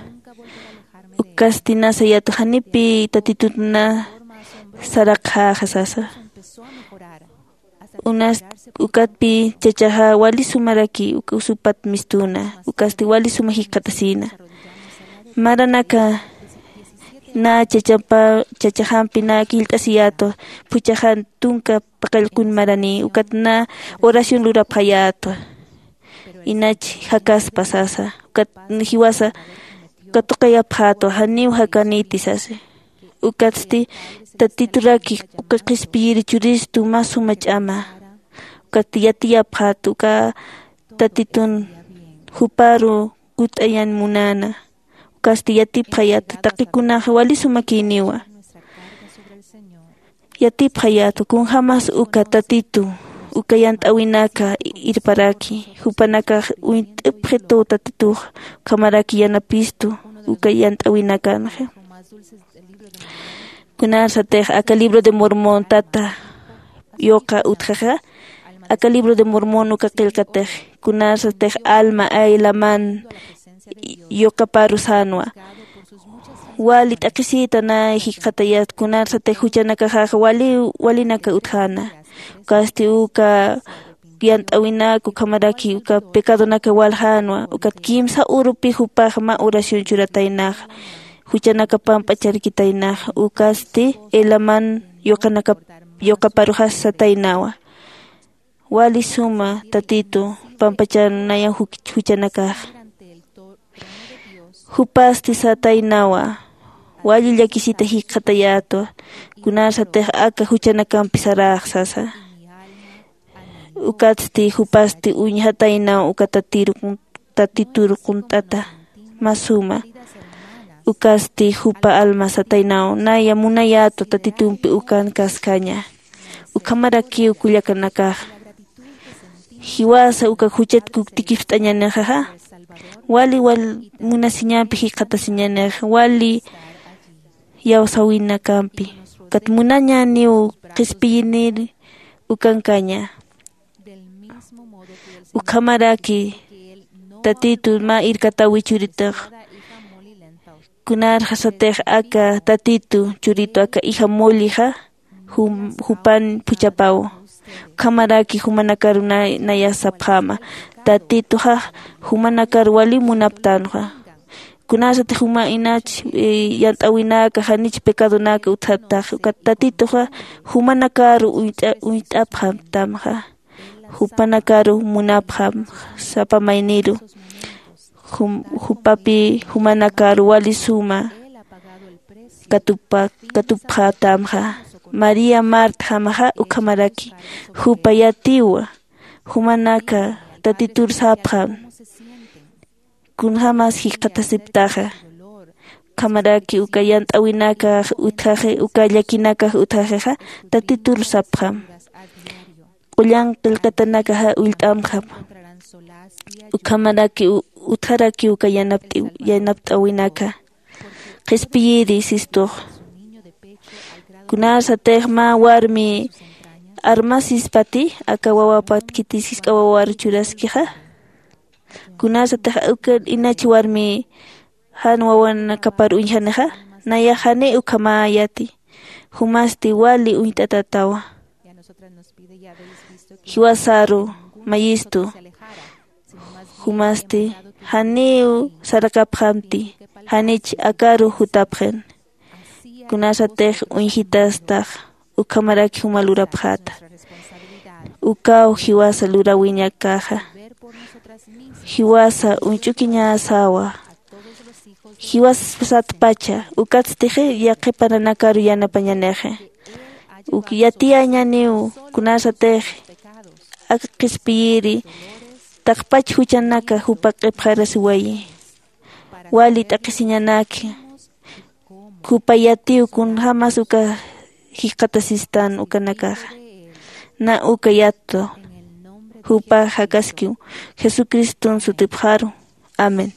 Ukasti na sayätwa janipi tatitut na saraqxäxa sasa. Unas ukatpi chachaxa wali sumaraki usupat mistuna ukasti wali suma jikxatasina. Maranaka na chachaxampi na killt'asiyätwa phuchhaxan tunka paqallqun marani ukat na oración lurapxayätwa. Inach jakaspa sasa ukat jiwasa katuqayapxätwa janiw jakaniti sasa. Ukatsti tatituraki uka qhispiyiri churistu mä suma ch'ama. Ukat yatiyapxät uka tatitun juparu kut'ayan munäna. Ukasti yatipxayät taqikunax wali sumakïniwa. Yatipxayät kunjämas uka tatitu uka yant'äwinaka irparaki jupanakax uñt'ipxitu tatitux ukhamaraki yanapistu uka yant'äwinakanxa. Kunarsatix aka libro de mormon tata yuqa utjaxa aka libro de mormon uka qillqatix kunarsatix alma aylaman yuqaparu sänwa. Wali t'aqhisita nay jikxatayät kunarsatix juchanakaxaxa wali walinaka utjäna. Ukasti uka yant'äwinak ukhamaraki uka pecadonaka waljänwa ukat kimsa urupi jupax mä oración churataynaxa. Juchanaka pamp'acharkitaynaxa ukasti elaman yuqanaka yuqaparuxas sataynawa. Wali suma tatitu pampacharunaya juchanakaxa. Jupasti sataynawa wali llakisita jikxatayätwa kunarsatix aka juchanakampi saräx sasa. Ukatsti jupasti uñjataynaw uka tatitur qunt'ata mä suma. Ukasti jupa alma sataynaw naya munayätwa tatitumpi ukankaskaña. Ukhamarakiw kullakanakaxa jiwasa uka juchat kuktikipt'añanixaxa wali wal munasiñampi jikxatasiñanix wali iyawsäwinakampi ukat munañäniw qhispiyinir ukankaña. Ukhamaraki tatitu mä irkatäwi churitax kunarxasatix aka tatitu churitu aka ija mullixa jupan phuchhapaw. Ukhamaraki jumanakaru naya sapxäma tatituxax jumanakaru wali munaptänxa. Kunasatix juma inach yant'äwinaka janich pecadonaka utjatax ukat tatituxa jumanakaru uñt'apxamtamxa. Jupanakaru munapxam sapa mayniru jupapi jumanakaru wali suma katupxatamxa. María martjamaxa ukhamaraki jupa yatiwa jumanaka tatitur sapxam. Kunjämas jikxatasiptaxa ukhamaraki uka yant'äwinakax utjaxi uka llakinakax utjaxixa tatitur sapxam. Q'ullan qillqatanakaxa ullt'amxam. Ukhamaraki utjaraki uka yanapt'äwinaka qhispiyiri sistux. Kunarsatix mä warmi armasispati aka wawapat khitis jisk'a wawar churaskixa. Kunarsatix uka inach warmi jan wawanakapar uñjanixa nayax jani ukhamäyati. Jumasti wali uñt'atatawa. Jiwasaru mayistu jumasti janiw saraqapxamti janich akaru jutapxin. Kunasatix uñjitastax ukhamaraki juma lurapxäta. Ukaw jiwasa luräwiñakäxa jiwasa uñch'ukiñasawa. Jiwasatpacha ukatstixi yaqhipananakaru yanapañanixi. Uk yatiyañaniw kunasatix aka qhispiyiri taqpach juchanaka jupa q'ipxarasiwayi. wali t'aqhisiñanaki. Jupa yatiw kunjämas uka jikxatasistan ukanakaxa. Na uka yatiw jupa jakaskiw, Jesucriston sutipxaru. Amén.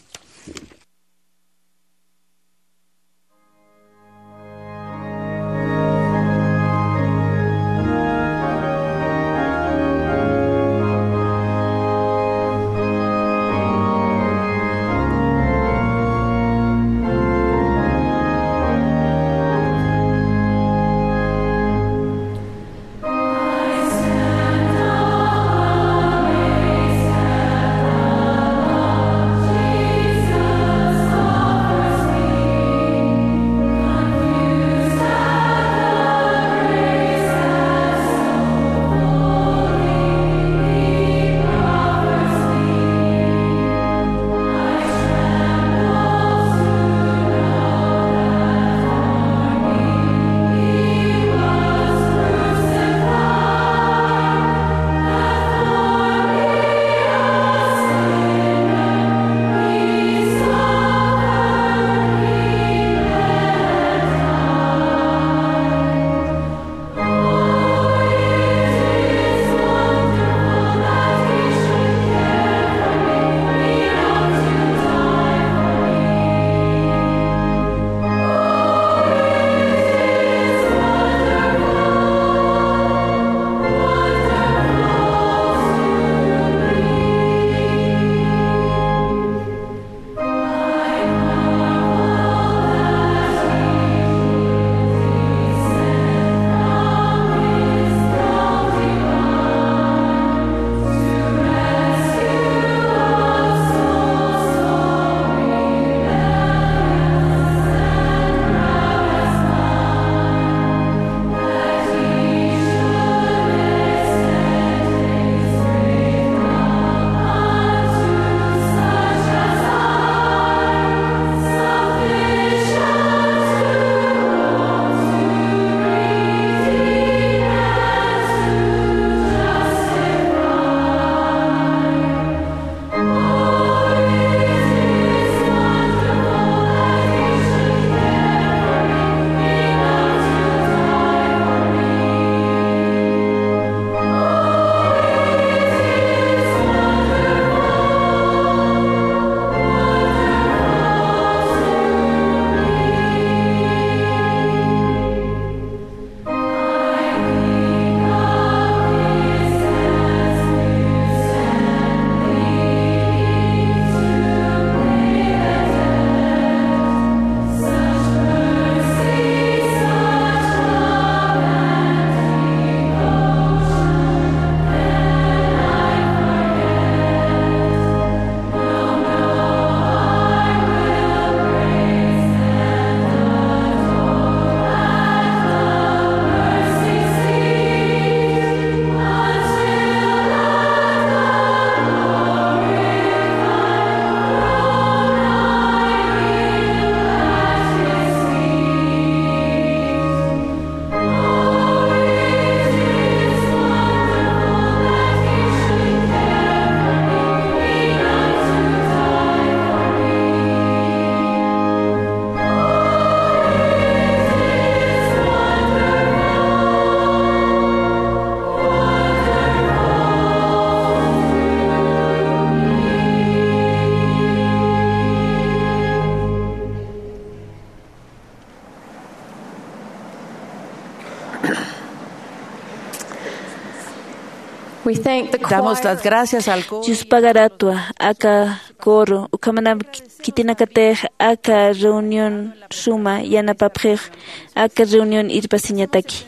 Damos las gracias al coro. Yuspagaratuwa aka coro, ukhamanam khitinakatix aka reunión suma yanapapxix, aka reunión irpasiñataki.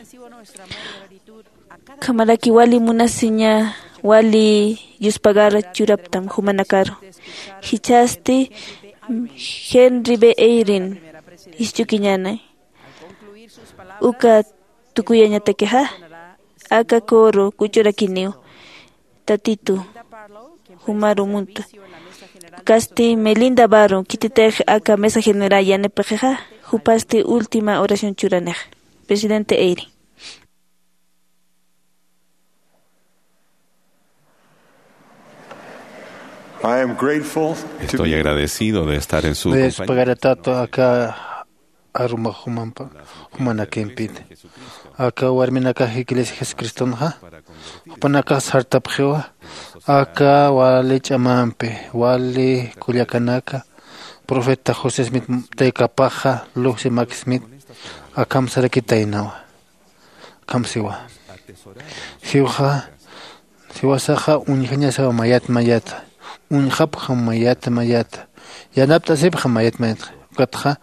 Ukhamaraki wali munasiña, wali yuspagar churaptam jumanakaru. Jichhasti Henry B. Eyring jichhukiñäni. Uka tukuyañatakixa, aka coro kuchurakiniw Tatitu jumaru muntwa. Ukasti Melinda Barrow, khititix aka mesa general yanapaxixa, jupasti última oración churanix. Presidente Eyring. I am grateful to Estoy be agradecido de estar en su Nayas compañía. Pagaratatu aka aruma jumampa jumanakimpit. Aka warminakax iglesia jesucristonxa jupanakax sartapxiwa aka wali ch'amampi wali kullakanaka profeta josé smith taykapaxa luxi mac smith akham sarakitaynawa. Akham siwa jiwxa jiwasaxa uñjañasawa mayat mayata uñjapxam mayata mayata yanapt'asipxam mayat mayatxa ukatxa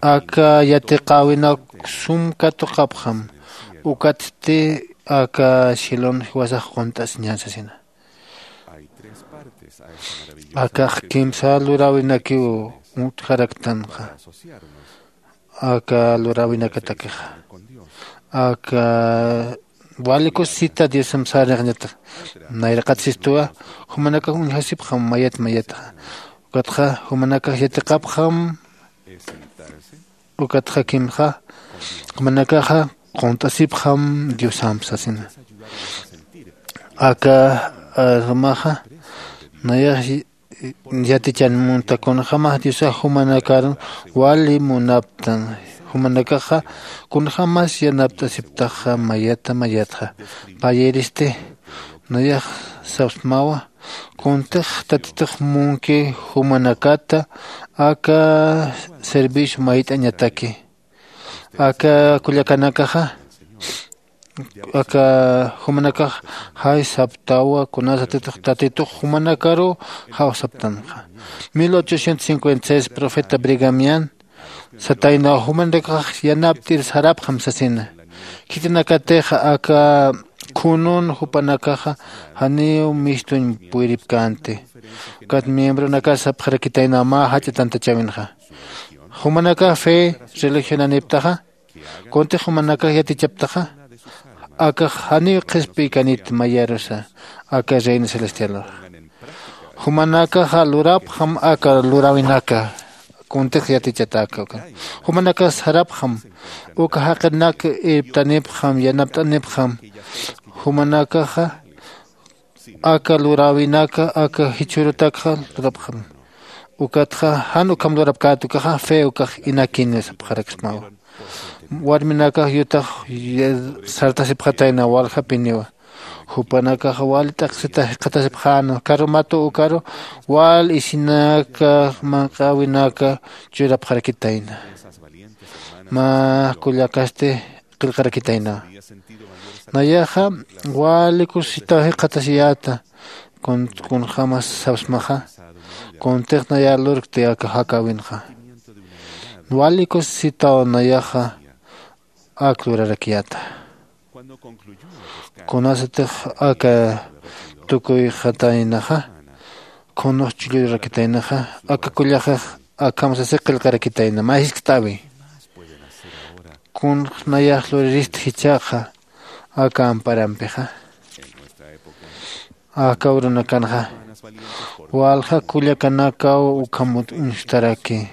aka yatiqäwinak sum katuqapxam ukatsti aka shilon jiwasax qunt'asiñän sasina. Akax kimsa luräwinakiw utjaraktanxa aka luräwinakatakixa aka wali kusisita diosam sarnixñatax nayraqat sistuwa jumanakax uñjasipxam mayat mayatxa ukatxa jumanakax yatiqapxam ukatxa kimxa jumanakaxa qunt'asipxam diosamp sasina. Aka armaxa nayax yatichan munta kunjämas diosax jumanakar wali munaptan jumanakaxa kunjämas yanapt'asiptaxa mayata mayatxa payiristi nayax sapsmawa kuntix tatitux munki jumanakata aka servicio mayt'añataki aka kullakanakaxa aka jumanakax jay saptawa kunasatitux tatitux jumanakaruw jawsaptanxa. Mil ochocientos cincuenta y seis profeta brigamian sataynaw jumanakax yanapt'ir sarapxam sasina. Khitinakatix aka khunun jupanakaxa janiw mistuñ puyripkänti ukat miembronakas sapxarakitaynaw mä jach'a tantachäwinxa. Jumanakax fe religionaniptaxa kuntix jumanakax yatichaptaxa akax janiw qhispiykanit mayarusa aka reino celestialxa. Jumanakaxa lurapxam aka luräwinaka kuntix yatichatäka uka jumanakax sarapxam uka jaqinak irptanipxam yanapt'anipxam jumanakaxa aka luräwinaka aka jichhürutakxa lurapxam. Ukatxa jan ukham lurapkät ukaxa fe ukax inakin sapxaraksmawa. Warminakax yutax sartasipxatayna waljapiniwa jupanakax wal t'aqsita jikxatasipxäna karumatu ukaru wal isinaka manq'äwinaka churapxarakitayna. Mä kullakasti qillqarakitaynawa. Nayaxa wali kusisitaw jikxatasiyäta kunjämas sapsmaxa kuntix nayar lurkti aka jakäwinxa. Wali kusisitaw nayaxa ak lurarakiyäta kunasatix aka tukuyxataynaxa kunux chullurakitaynaxa aka kullaxix akham sasi qillqarakitayna mä jiskt'äwi. Kunx nayax luriristi jichhaxa aka amparampixa aka urunakanxa walja kullakanakaw ukham uñstaraki.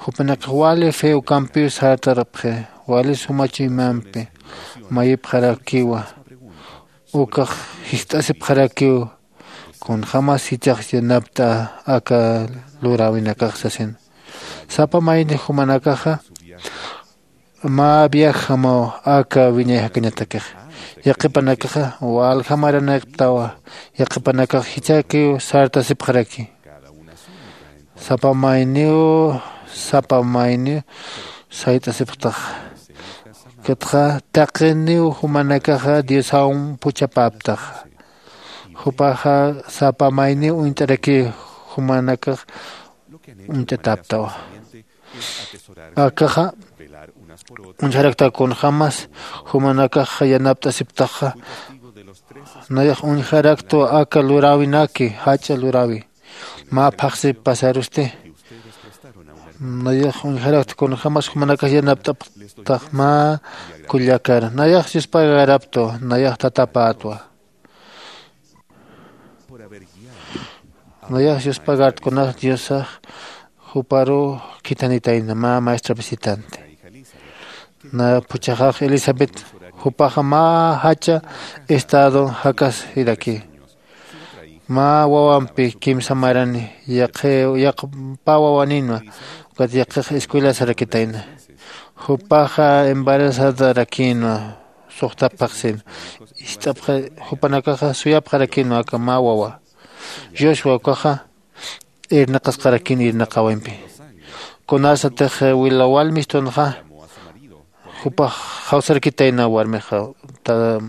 Jupanakax wali fe ukampiw sartarapxi wali suma chuymampi mayipxarakiwa ukax jiskt'asipxarakiw kunjämas jichhax yanapt'a aka luräwinakax sasin. Sapa mayni jumanakaxa mä viajjamaw aka wiñay jakañatakixa. Yaqhipanakaxa walja maraniptawa yaqhipanakax jichhäkiw sartasipxaraki. Sapa mayniw sapa mayniw sayt'asipxtaxa. Ukatxa taqiniw jumanakaxa diosaw puchhapäptaxa. Jupaxa sapa mayniw uñt'arakiw jumanakax uñt'atäptawa. Akaxa uñjarakta kunjämas jumanakax yanapt'asiptaxa. Nayax uñjaraktwa aka luräwinaki jach'a luräwi mä phaxsip pasarusti. Nayax uñjarakta kunjämas jumanakax yanapt'apxtax mä kullakar nayax yuspagaraptwa nayax tatapätwa. Nayax yuspagartkunax diosax juparuw khithanitayna mä maestra visitanti. Na phuchhaxax elisabet jupaxa mä jach'a estado jakasiraki. Mä wawampi kimsa marani yaqi yaqpa wawaninwa. Ukat yaqix escuela sarakitayna. Jupaxa embarazadarakinwa. Suxtapxaxsin ist'apxa. Jupanakaxa suyapxarakinwa aka mä wawa. Joshua ukaxa irnaqasqarakin irnaqawimpi. Kunasatix wila walmistunxa jupax jawsarakitayna warmixa ta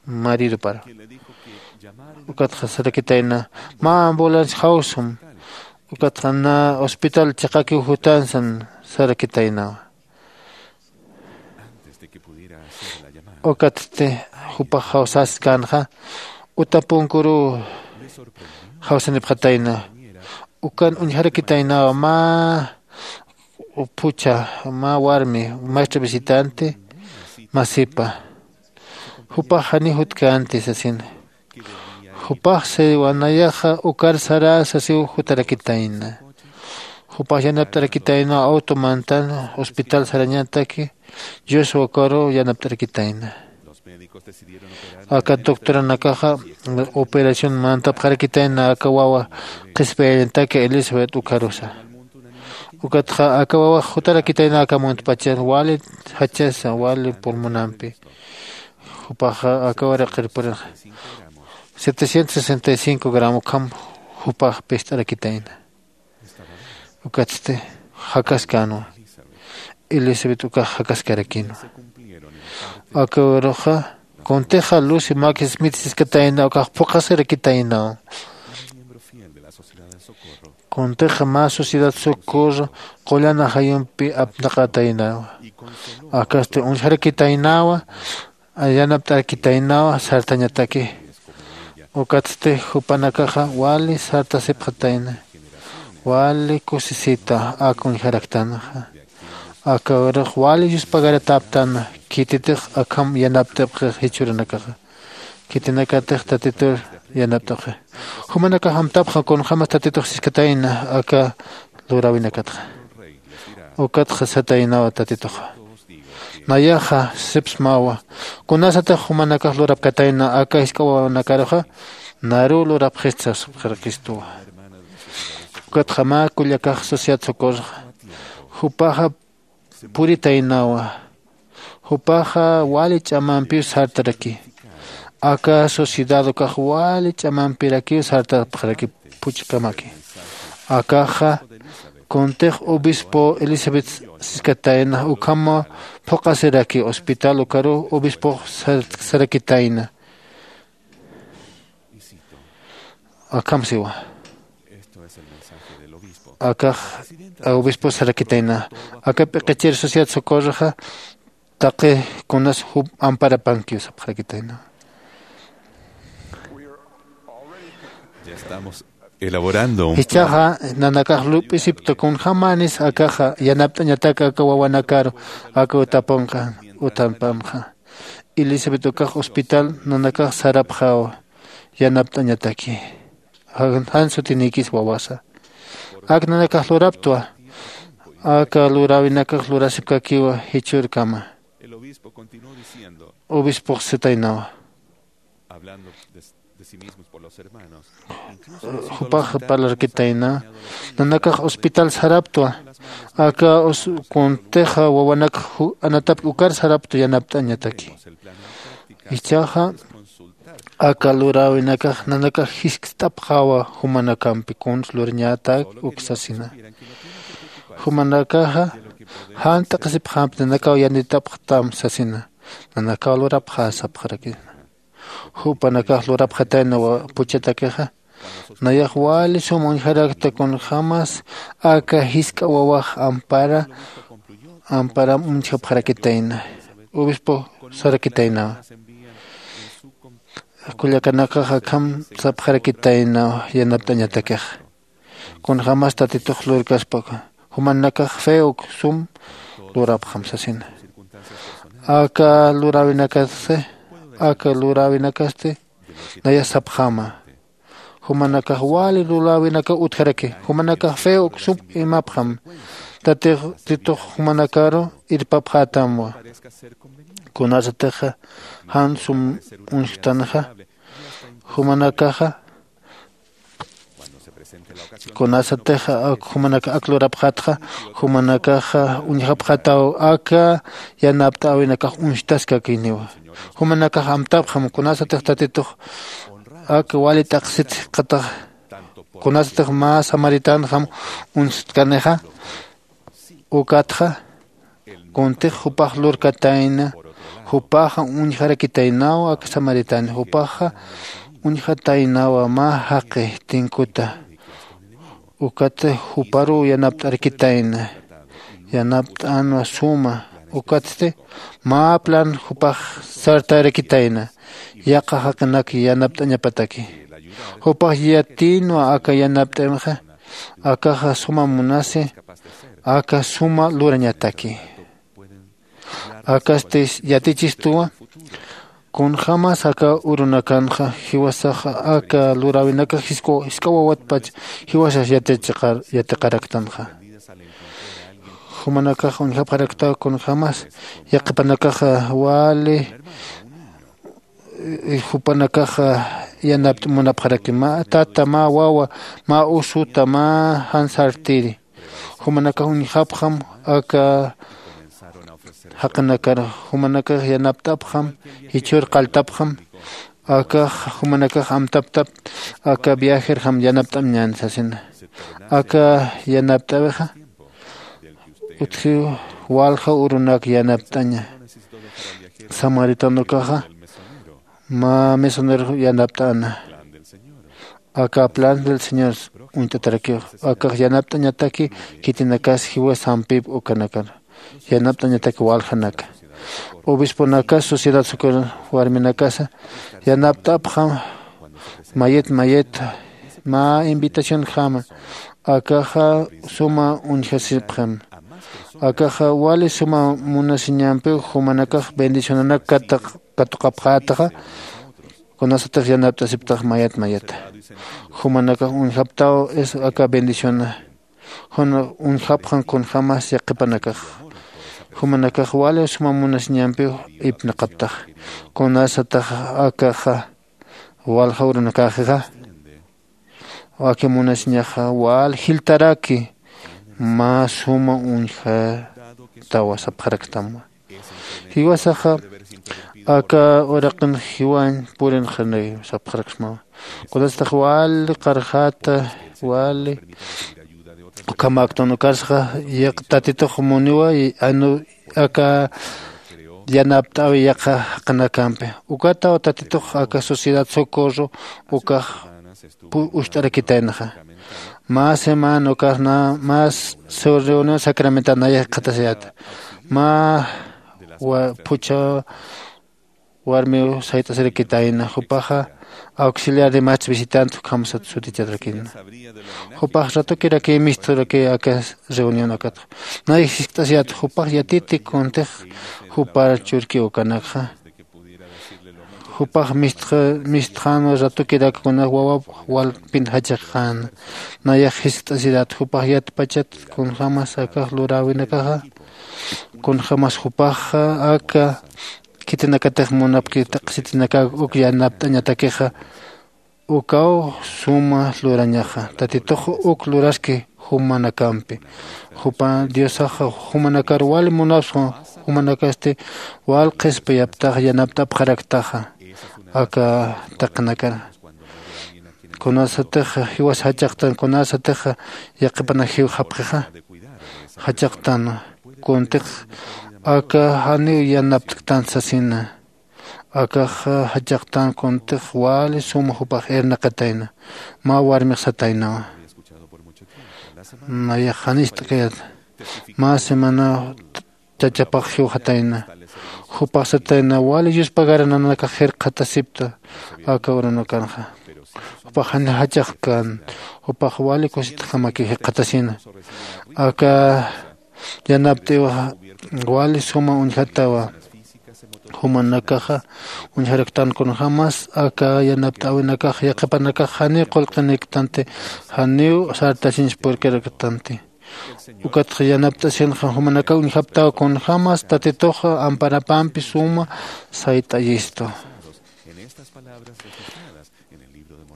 maridupara. Ukatxa sarakitayna mä ambulancia jawsum. Ukatxa na hospital chiqakiw jutansan sarakitaynawa. Ukatsti jupax jawsaskänxa utapunkuruw jawsanipxatayna. Ukan uñjarakitaynawa mä phuchha mä warmi maestra visitante masipa. Jupax janiw jutkänti sasina. Jupax siwa nayaxa ukar sarä sasiw jutarakitayna. Jupax yanapt'arakitayna awto mantan hospital sarañataki. Joshua ukaruw yanapt'arakitayna. Aka doctoranakaxa operación mantapxarakitayna aka wawa qhispiyañataki elizabet ukarusa. Ukatxa aka wawax jutarakitayna aka muntpachar wali jachasa wali pulmonampi. Jupaxa aka uraqir purixa setecientos sesenta y cinco gramo ukham jupax pist'arakitayna. Ukatsti jakaskänwa. Elizabet ukax jakaskarakinwa. Aka uruxa kuntixa lucy max smith siskatayna ukax phuqhasirakitaynaw. Kuntixa mä sociedad socorro qullan ajayumpi apnaqataynawa. Akasti uñjarakitaynawa. Yanapt'arakitaynawa sartañataki. Ukatsti jupanakaxa wali sartasipxatayna. Wali kusisita aka uñjaraktanxa. Aka urux wali yuspagaratäptana khititix akham yanapt'apxix jichhürunakaxa. Khitinakatix tatitur yanapt'apxi. Jumanakax amtapxam kunjämas tatitux siskatayna aka luräwinakatxa. Ukatxa sataynawa tatituxa. Nayaxa sipsmawa. Kunasatix jumanakax lurapkatayna aka jisk'a wawanakaruxa naruw lurapxista sapxarakistuwa. Ukatxa mä kullakax sociedad socorroxa jupaxa puritaynawa. Jupaxa wali ch'amampiw sartaraki. Aka sociedad ukax wali ch'amampirakiw sartapxaraki phuchhkamaki. Akaxa kuntix obispo elizabeth siskatayna ukhamaw phuqhasiraki hospital ukaruw obispox sarakitayna. Akham siwa. Akax obispo sarakitayna. Aka p'iqichir sociedad socorroxa taqi kunas jup amparapankiw sapxarakitayna. Jichhaxa nanakax lup'isipta kunjämanis akaxa yanapt'añatak aka wawanakaru aka utapunxa utampamxa. Elizabeth ukax hospital nanakax sarapxawa. Yanapt'añataki jan sutinikis wawasa. Ak nanakax luraptwa. Aka luräwinakax lurasipkakiwa jichhürkama. Obispox sitaynawa. Jupax parlarkitayna nanakax hospital saraptwa. Aka kuntixa wawanakax anatapki ukar saraptwa yanapt'añataki. Jichhaxa aka luräwinakax nanakax jiskt'apxawa jumanakampi kuns lurañätak uk sasina. Jumanakaxa jan t'aqhisipxämpi nanakaw yanitapxtam sasina. Nanakaw lurapxä sapxarakina. Jupanakax lurapxatayna phuchhatakixa. Nayax wali sum uñjarakta kunjämas aka jisk'a wawax ampara amparam uñjapxarakitayna. Obispo sarakitaynawa. Kullakanakax akham sapxarakitaynawa yanapt'añatakixa. Kunjämas tatitux lurkaspa jumanakax fe uk sum lurapxam sasina. Aka luräwinakasti aka luräwinakasti naya sapxäma. Jumanakax wali luräwinakaw utjaraki. Jumanakax fe uk sum imapxam. Tatitux jumanakaru irpapxätamwa. Kunasatixa jan sum uñjtanxa jumanakaxa Kunasatix ak jumanak ak lurapxatxa, jumanakaxa uñjapxataw aka yanapt'äwinakax uñstaskakiniwa. Jumanakax amtapxam kunasatix tatitux ak wali t'aqsit jikxataxa, kunasatix mä samaritanjam uñstkanixa, ukatxa kuntix jupax lurkatayna, jupaxa uñjarakitaynawa aka samaritani, jupaxa uñjataynawa mä jaqi tinkuta. Ukat juparuw yanapt'arakitayna, yanapt'änwa suma. Ukatsti mä plan jupax sartarakitayna yaqha jaqinak yanapt'añapataki. Jupax yatïnwa aka yanapt'äwinxa, akaxa suma munasi, aka suma lurañataki. Akasti yatichistuwa kunjämas aka urunakanxa jiwasaxa aka luräwinakax jisk'awawatpach jiwasax yatiqaraktanxa. Jumanakax uñjapxaraktaw kunjämas yaqhipanakaxa wali jupanakaxa yanapt'añ munapxaraki, mä tata, mä wawa, mä usuta, mä jan sartiri. Jumanakax uñjapxam aka jaqinakar, jumanakax yanapt'apxam, jichhür qalltapxam. Akax jumanakax amtaptap aka viajerjam yanapt'añän sasina. Aka yanapt'äwixa utjiw walja urunak yanapt'aña. Samaritano ukaxa mä mesonero yanapt'äna. Aka plan del señor uñt'atarakiw. Akax yanapt'añataki khitinakas jiwas sampip ukanakar yanapt'añataki waljanaka. Obisponakas sociedad sucur warminakasa yanapt'apxam mayit mayit mä invitacionjama. Akaxa suma uñjasipxam. Akaxa wali suma munasiñampiw jumanakax bendicionanak katuqapxätaxa kunasatix yanapt'asiptax mayat mayata. Jumanakax uñjaptaw es aka bendiciona. Jun uñjapxan kunjämas yaqhipanakax. Jumanakax wali suma munasiñampiw ipnaqaptax kunasatix akaxa walja urunakäxixa aka munasiñaxa wal jiltaraki mä suma uñjatawa sapxaraktamwa. Jiwasaxa aka uraqin jiwañ purinxanay sapxaraksmawa. Kunasatix wali qarjata wali ukhamäktan ukarsaxa yaq tatitux muniwa aka yanapt'äwi yaqha jaqinakampi. Ukataw tatitux aka sociedad socorro ukax ucht'arakitaynaxa. Mä semana ukax mä reunión sacramental nayax jikxatasiyäta. Mä phuchha warmiw sayt'asirakitayna jupaxa auxiliar de más visitante ukhamsat sutichatarakina. Jupax ratukirakiy mistxarakiy aka reunión akatxa. Nayax jiskt'asiyäta jupax yatiti kuntix jupar churki ukanakxa. Jupax mistxänwa ratukirak kuna wawap walpin jachaqxäna. Nayax jiskt'asirät jupax yatpachat kunjämas akax luräwinakaxa kunjämas jupaxxa aka khitinakatix munapki taqsitinakäk uk yanapt'añatakixa. Ukaw suma lurañaxa tatitux uk luraski jumanakampi. Jupa diosaxa jumanakar wali munapxwa. Jumanakasti wal qhispiyaptaxa yanapt'apxaraktaxa aka taqinakar. Kunasatixa jiwas jachaqtan kunasatixa yaqhipanak jiwxapxixa jachaqtan kuntix aka janiw yanaptktan sasina. Akaxa jachaqtan kuntix wali suma jupax irnaqatayna. Mä warmix sataynawa nayax janist'kayat mä semanaw chachapax jiwxatayna. Jupax satayna wali yuspagarananakax jirqatasipta aka urunakanxa. Jupax jani jachaqkan jupax wali kusitjamakiw jirqatasina. Aka yanapt'iwaxa wali suma uñjatawa. Jumanakaxa uñjaraktan kunjämas aka yanapt'äwinakax yaqhipanakax janiw qullqiniktanti janiw sartasiñsa purkaraktanti. Ukatxa yanapt'asinxa jumanakaw uñjaptaw kunjämas tatituxa amparapampi suma sayt'ayistu.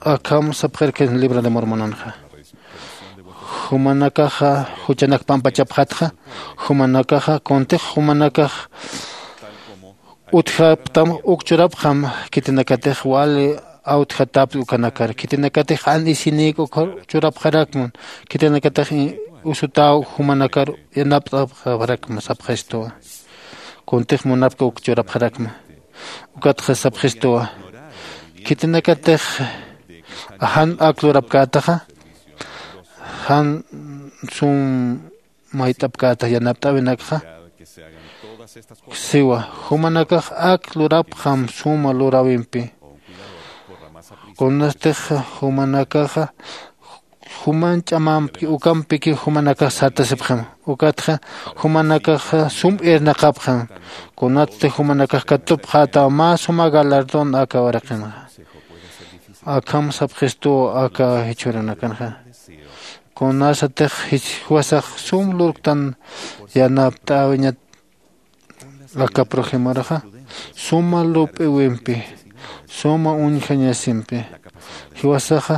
Akham sapxirkin libro de mormonanxa. Jumanakaxa juchanak pampachapxatxa. Jumanakaxa kuntix jumanakax utjaptam uk churapxam. Khitinakatix wali awtjatapti ukanakar khitinakatix an isinïk uk churapxarakman. Khitinakatix usutaw jumanakar yanapt'apxarakma sapxistuwa. Kuntix munapki uk churapxarakma. Ukatxa sapxistuwa. Khitinakatix jan ak lurapkätaxa jan sum mayt'apkätax yanapt'äwinakxa. Siwa jumanakax ak lurapxam suma luräwimpi. Kunastix jumanakaxa juman ch'amampi ukampiki jumanakax sartasipxam. Ukatxa jumanakaxa sum irnaqapxam. Kunatsti jumanakax katupxätaw mä suma galardón aka uraqinxa. Akham sapxistuw aka jichhürunakanxa. Kunasatix jiwasax sum lurktan yanapt'äwiñat aka prójimorxa suma lup'iwimpi suma uñjañasimpi jiwasaxa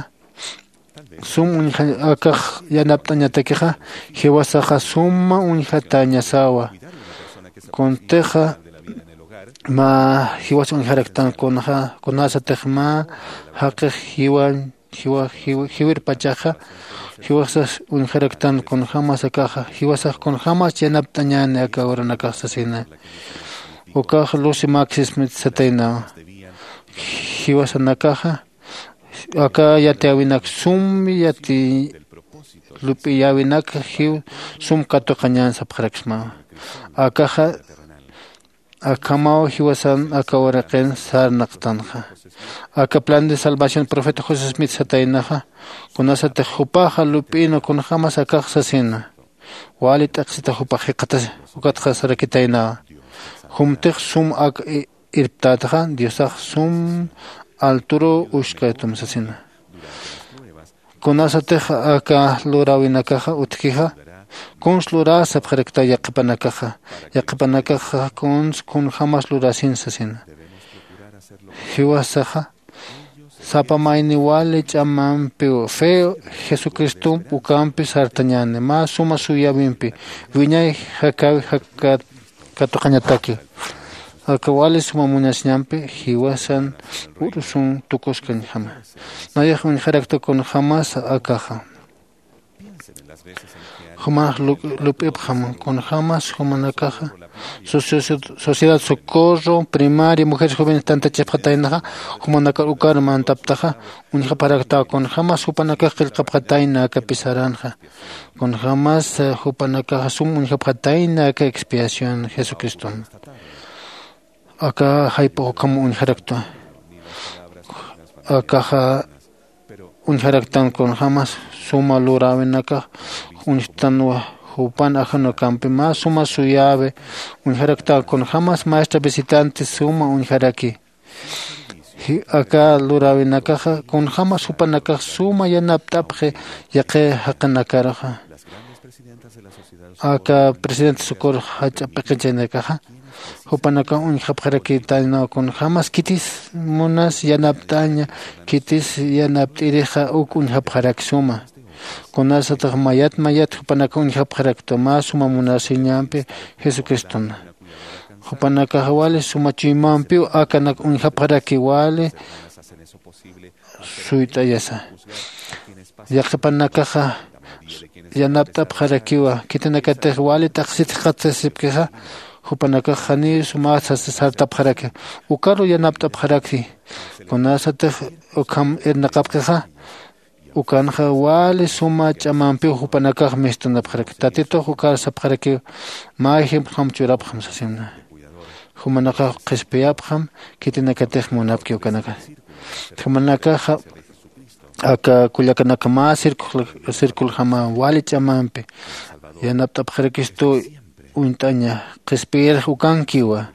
sum uñja akax yanapt'añatakixa jiwasaxa suma uñjatañasawa. Kuntixa mä jiwas uñjaraktan kunxa kunasatix mä jaqix jiwañ jiwirpachaxa jiwasas uñjaraktan kunjämas akaxa jiwasax kunjämas yanapt'añäni aka uranakax sasina. Ukax lucy maxismit sataynawa. Jiwasanakaxa aka yatiyäwinak sum yati lup'iyäwinak jiw sum katuqañän sapxaraksmawa. Akaxa akhamaw jiwasan aka uraqin sarnaqtanxa. Aka plan de salvación profeta josé smith sataynaxa kunasatix jupaxa lup'ïnwa kunjämas akax sasina. Wali t'aqsita jupax jikxatasi ukatxa sarakitaynawa. Jumtix sum ak irptätaxa diosax sum alturuw uskaytum sasina. Kunasatix aka luräwinakaxa utjkixa kuns luräsa sapxaraktaw yaqhipanakaxa yaqhipanakaxa kuns kunjämas luräsin sasina. Jiwasaxa sapa mayni wali ch'amampiw fe jesucristomp ukampi sartañäni mä suma suyäwimpi wiñay jakäwi jakat katuqañataki. Aka wali suma munasiñampi jiwasan ursun tukuskañjama. Nayax uñjarakta kunjämas akaxa jumax lup'ipxam kunjämas jumanakaxa sociedad socorro primaria mujeres jóvenes tantachipxataynaxa jumanakar ukar mantaptaxa uñjapxaraktaw kunjämas jupanakax qillqapxatayna aka pisaranxa. Kunjämas jupanakaxa sum uñjapxatayna aka expiación jesucriston. Aka jayp'ux ukham uñjaraktwa. Akaxa uñjaraktan kunjämas suma luräwinakax uñjtanwa. Jupan ajanukampi mä suma suyäwi uñjaraktan kunjämas maestra visitante suma uñjaraki. Aka luräwinakaxa kunjämas jupanakax suma yanapt'apxi yaqhi jaqinakaruxa. Aka presidente socorro jach'a p'iqichaynakaxa jupanakax uñjapxarakitaynaw kunjämas khitis munas yanapt'aña khitis yanapt'irixa uk uñjapxarak suma. Kunasatix mayat mayat jupanakax uñjapxaraktwa mä suma munasiñampi jesucristona. Jupanakax wali suma chuymampiw akanak uñjapxaraki wali suyt'ayasa. Yaqhipanakaxa yanapt'apxarakiwa khitinakatix wali t'aqsit jikxatasipkixa jupanakax janiw suma sartapxaraki ukaru yanapt'apxaraki. Kunasatix ukham irnaqapkixa ukanxa wali suma ch'amampiw jupanakax mistunapxaraki tatitux ukar sapxarakiw mä ejemplojam churapxam sasina. Jumanakax qhispiyapxam khitinakatix munapki ukanakax. Jumanakaxa aka kullakanaka mä circuljama wali ch'amampi yanapt'apxarakistu uñt'aña qhispiyirix ukankiwa.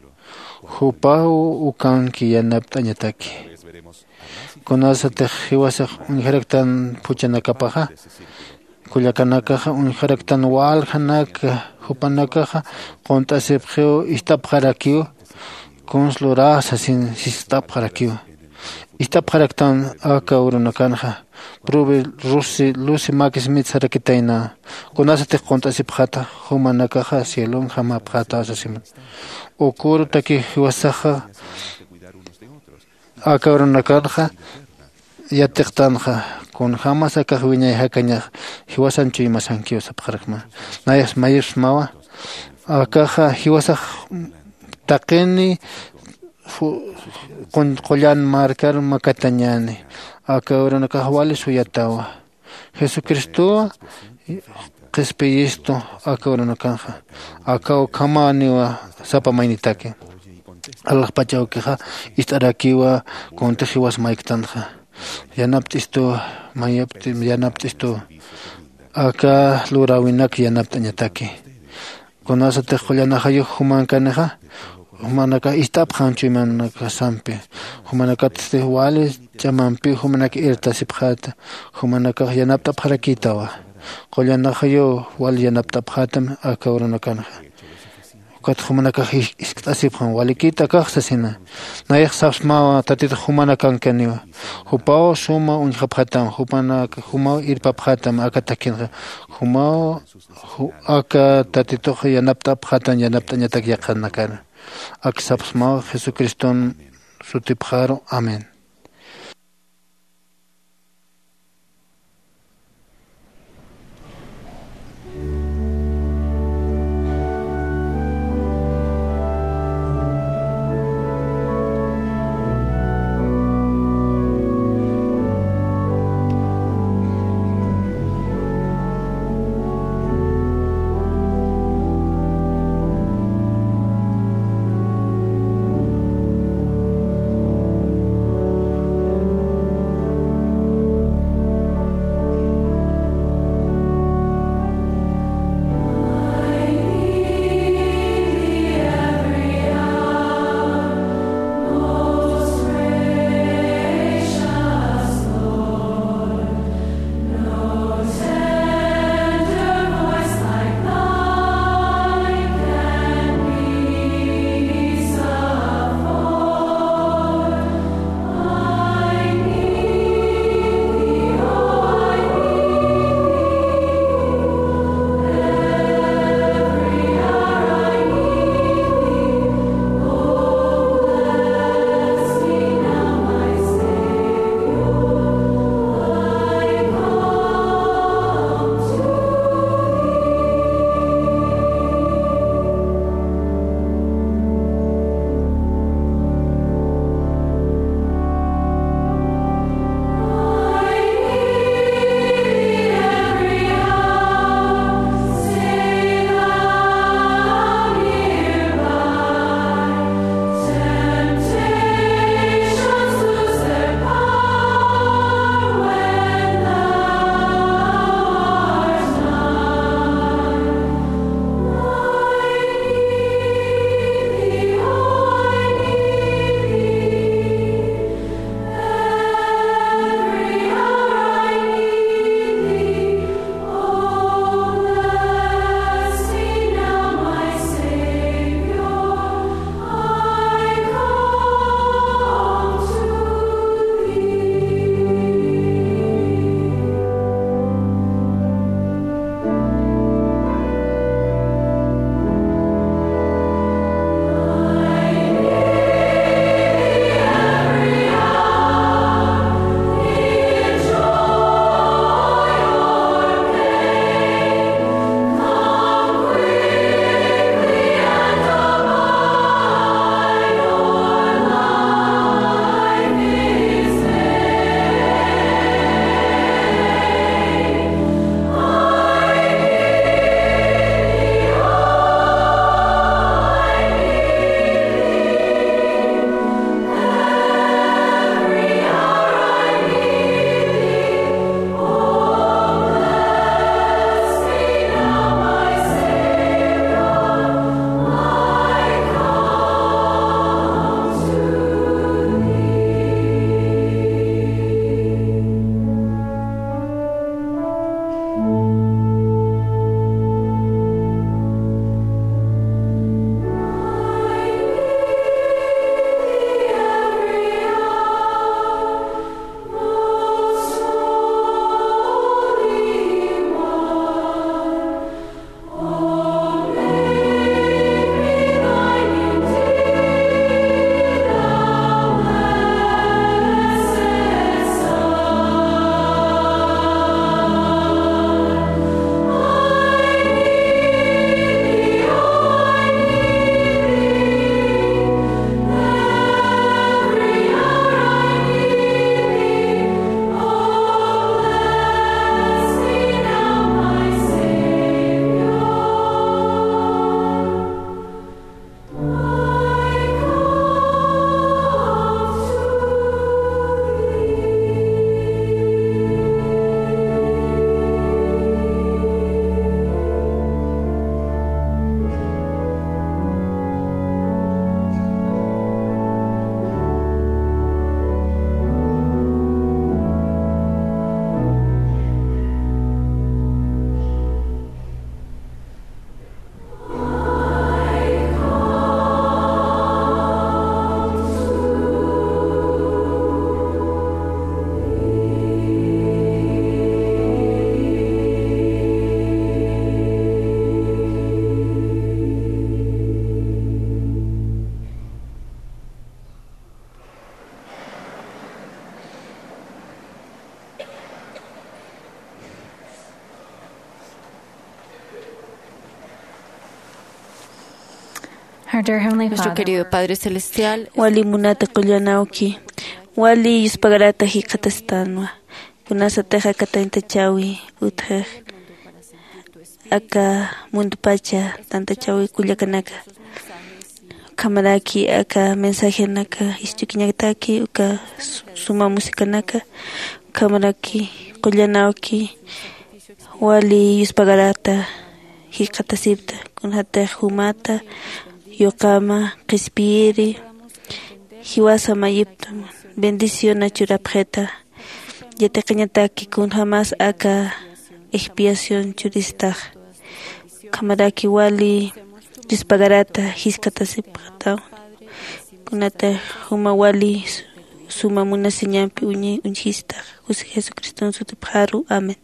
Jupaw ukanki yanapt'añataki. Kunasatix jiwasax uñjaraktan phuchanakapaxa kullakanakaxa uñjaraktan waljanak jupanakaxa qunt'asipxiw ist'apxarakiw kuns luräsa sin sist'apxarakiw. Ist'apxaraktan aka urunakanxa. Prubi rusi lusi makis mitsarakitayna. Kunasatix qunt'asipxata jumanakaxa cielonjamapxatäsasima. Ukurutaki jiwasaxa aka urunakanxa yatiqtanxa. Kunjämas akax wiñay jakañax jiwasan chuymasankiw sapxarakma. Nayax mayipsmawa. Akaxa jiwasax taqini qullan markar makatañäni. Aka urunakax wali suyatawa. Jesucristowa qhispiyistu aka urunakanxa. Aka ukhamäniwa sapa maynitaki. Alaxpach awkixa ist'arakiwa kuntix jiwas mayktanxa. Yanapt'istuwa. Mayapt'i yanapt'istuwa. Aka luräwinak yanapt'añataki. Kunasatix qullan ajayux jumankanixa jumanakax ist'apxam chuymanakasampi. Jumanakatsti wali ch'amampiw jumanak irtasipxäta. Jumanakax yanapt'apxarakïtawa. Qullan ajayuw wali yanapt'apxätam aka urunakanxa. Ukat jumanakax iskt'asipxam walikït akax sasina. Nayax sapsmawa tatitux jumanakankaniwa. Jupaw suma uñjapxätam jumanak jumaw irpapxätam aka takinxa. Jumaw aka tatitux yanapt'apxätam yanapt'añatak yaqhanakana. Ak sapsmaw jesucriston sutipxaru. Amén. Nuestro querido Padre Celestial, wali munata qullanawki, wali yuspagarata jikxatastanwa. Kunasatix aka tantachäwi utjix aka mundupacha tantachäwi kullakanaka, ukhamaraki aka mensajenaka isch'ukiñataki uka suma musikanaka. Ukhamaraki qullanawki wali yuspagarata jikxatasipta, kunatix jumata yuqama qhispiyiri jiwasa mayipta bendiciona churapxita. Yatiqañataki kunjamas aka expiación churistax, ukhamaraki wali yuspagarata jiskhatasipxataw, kunatix juma wali suma munasiñampi uñjistax. Jesucriston sutipxaru, amén.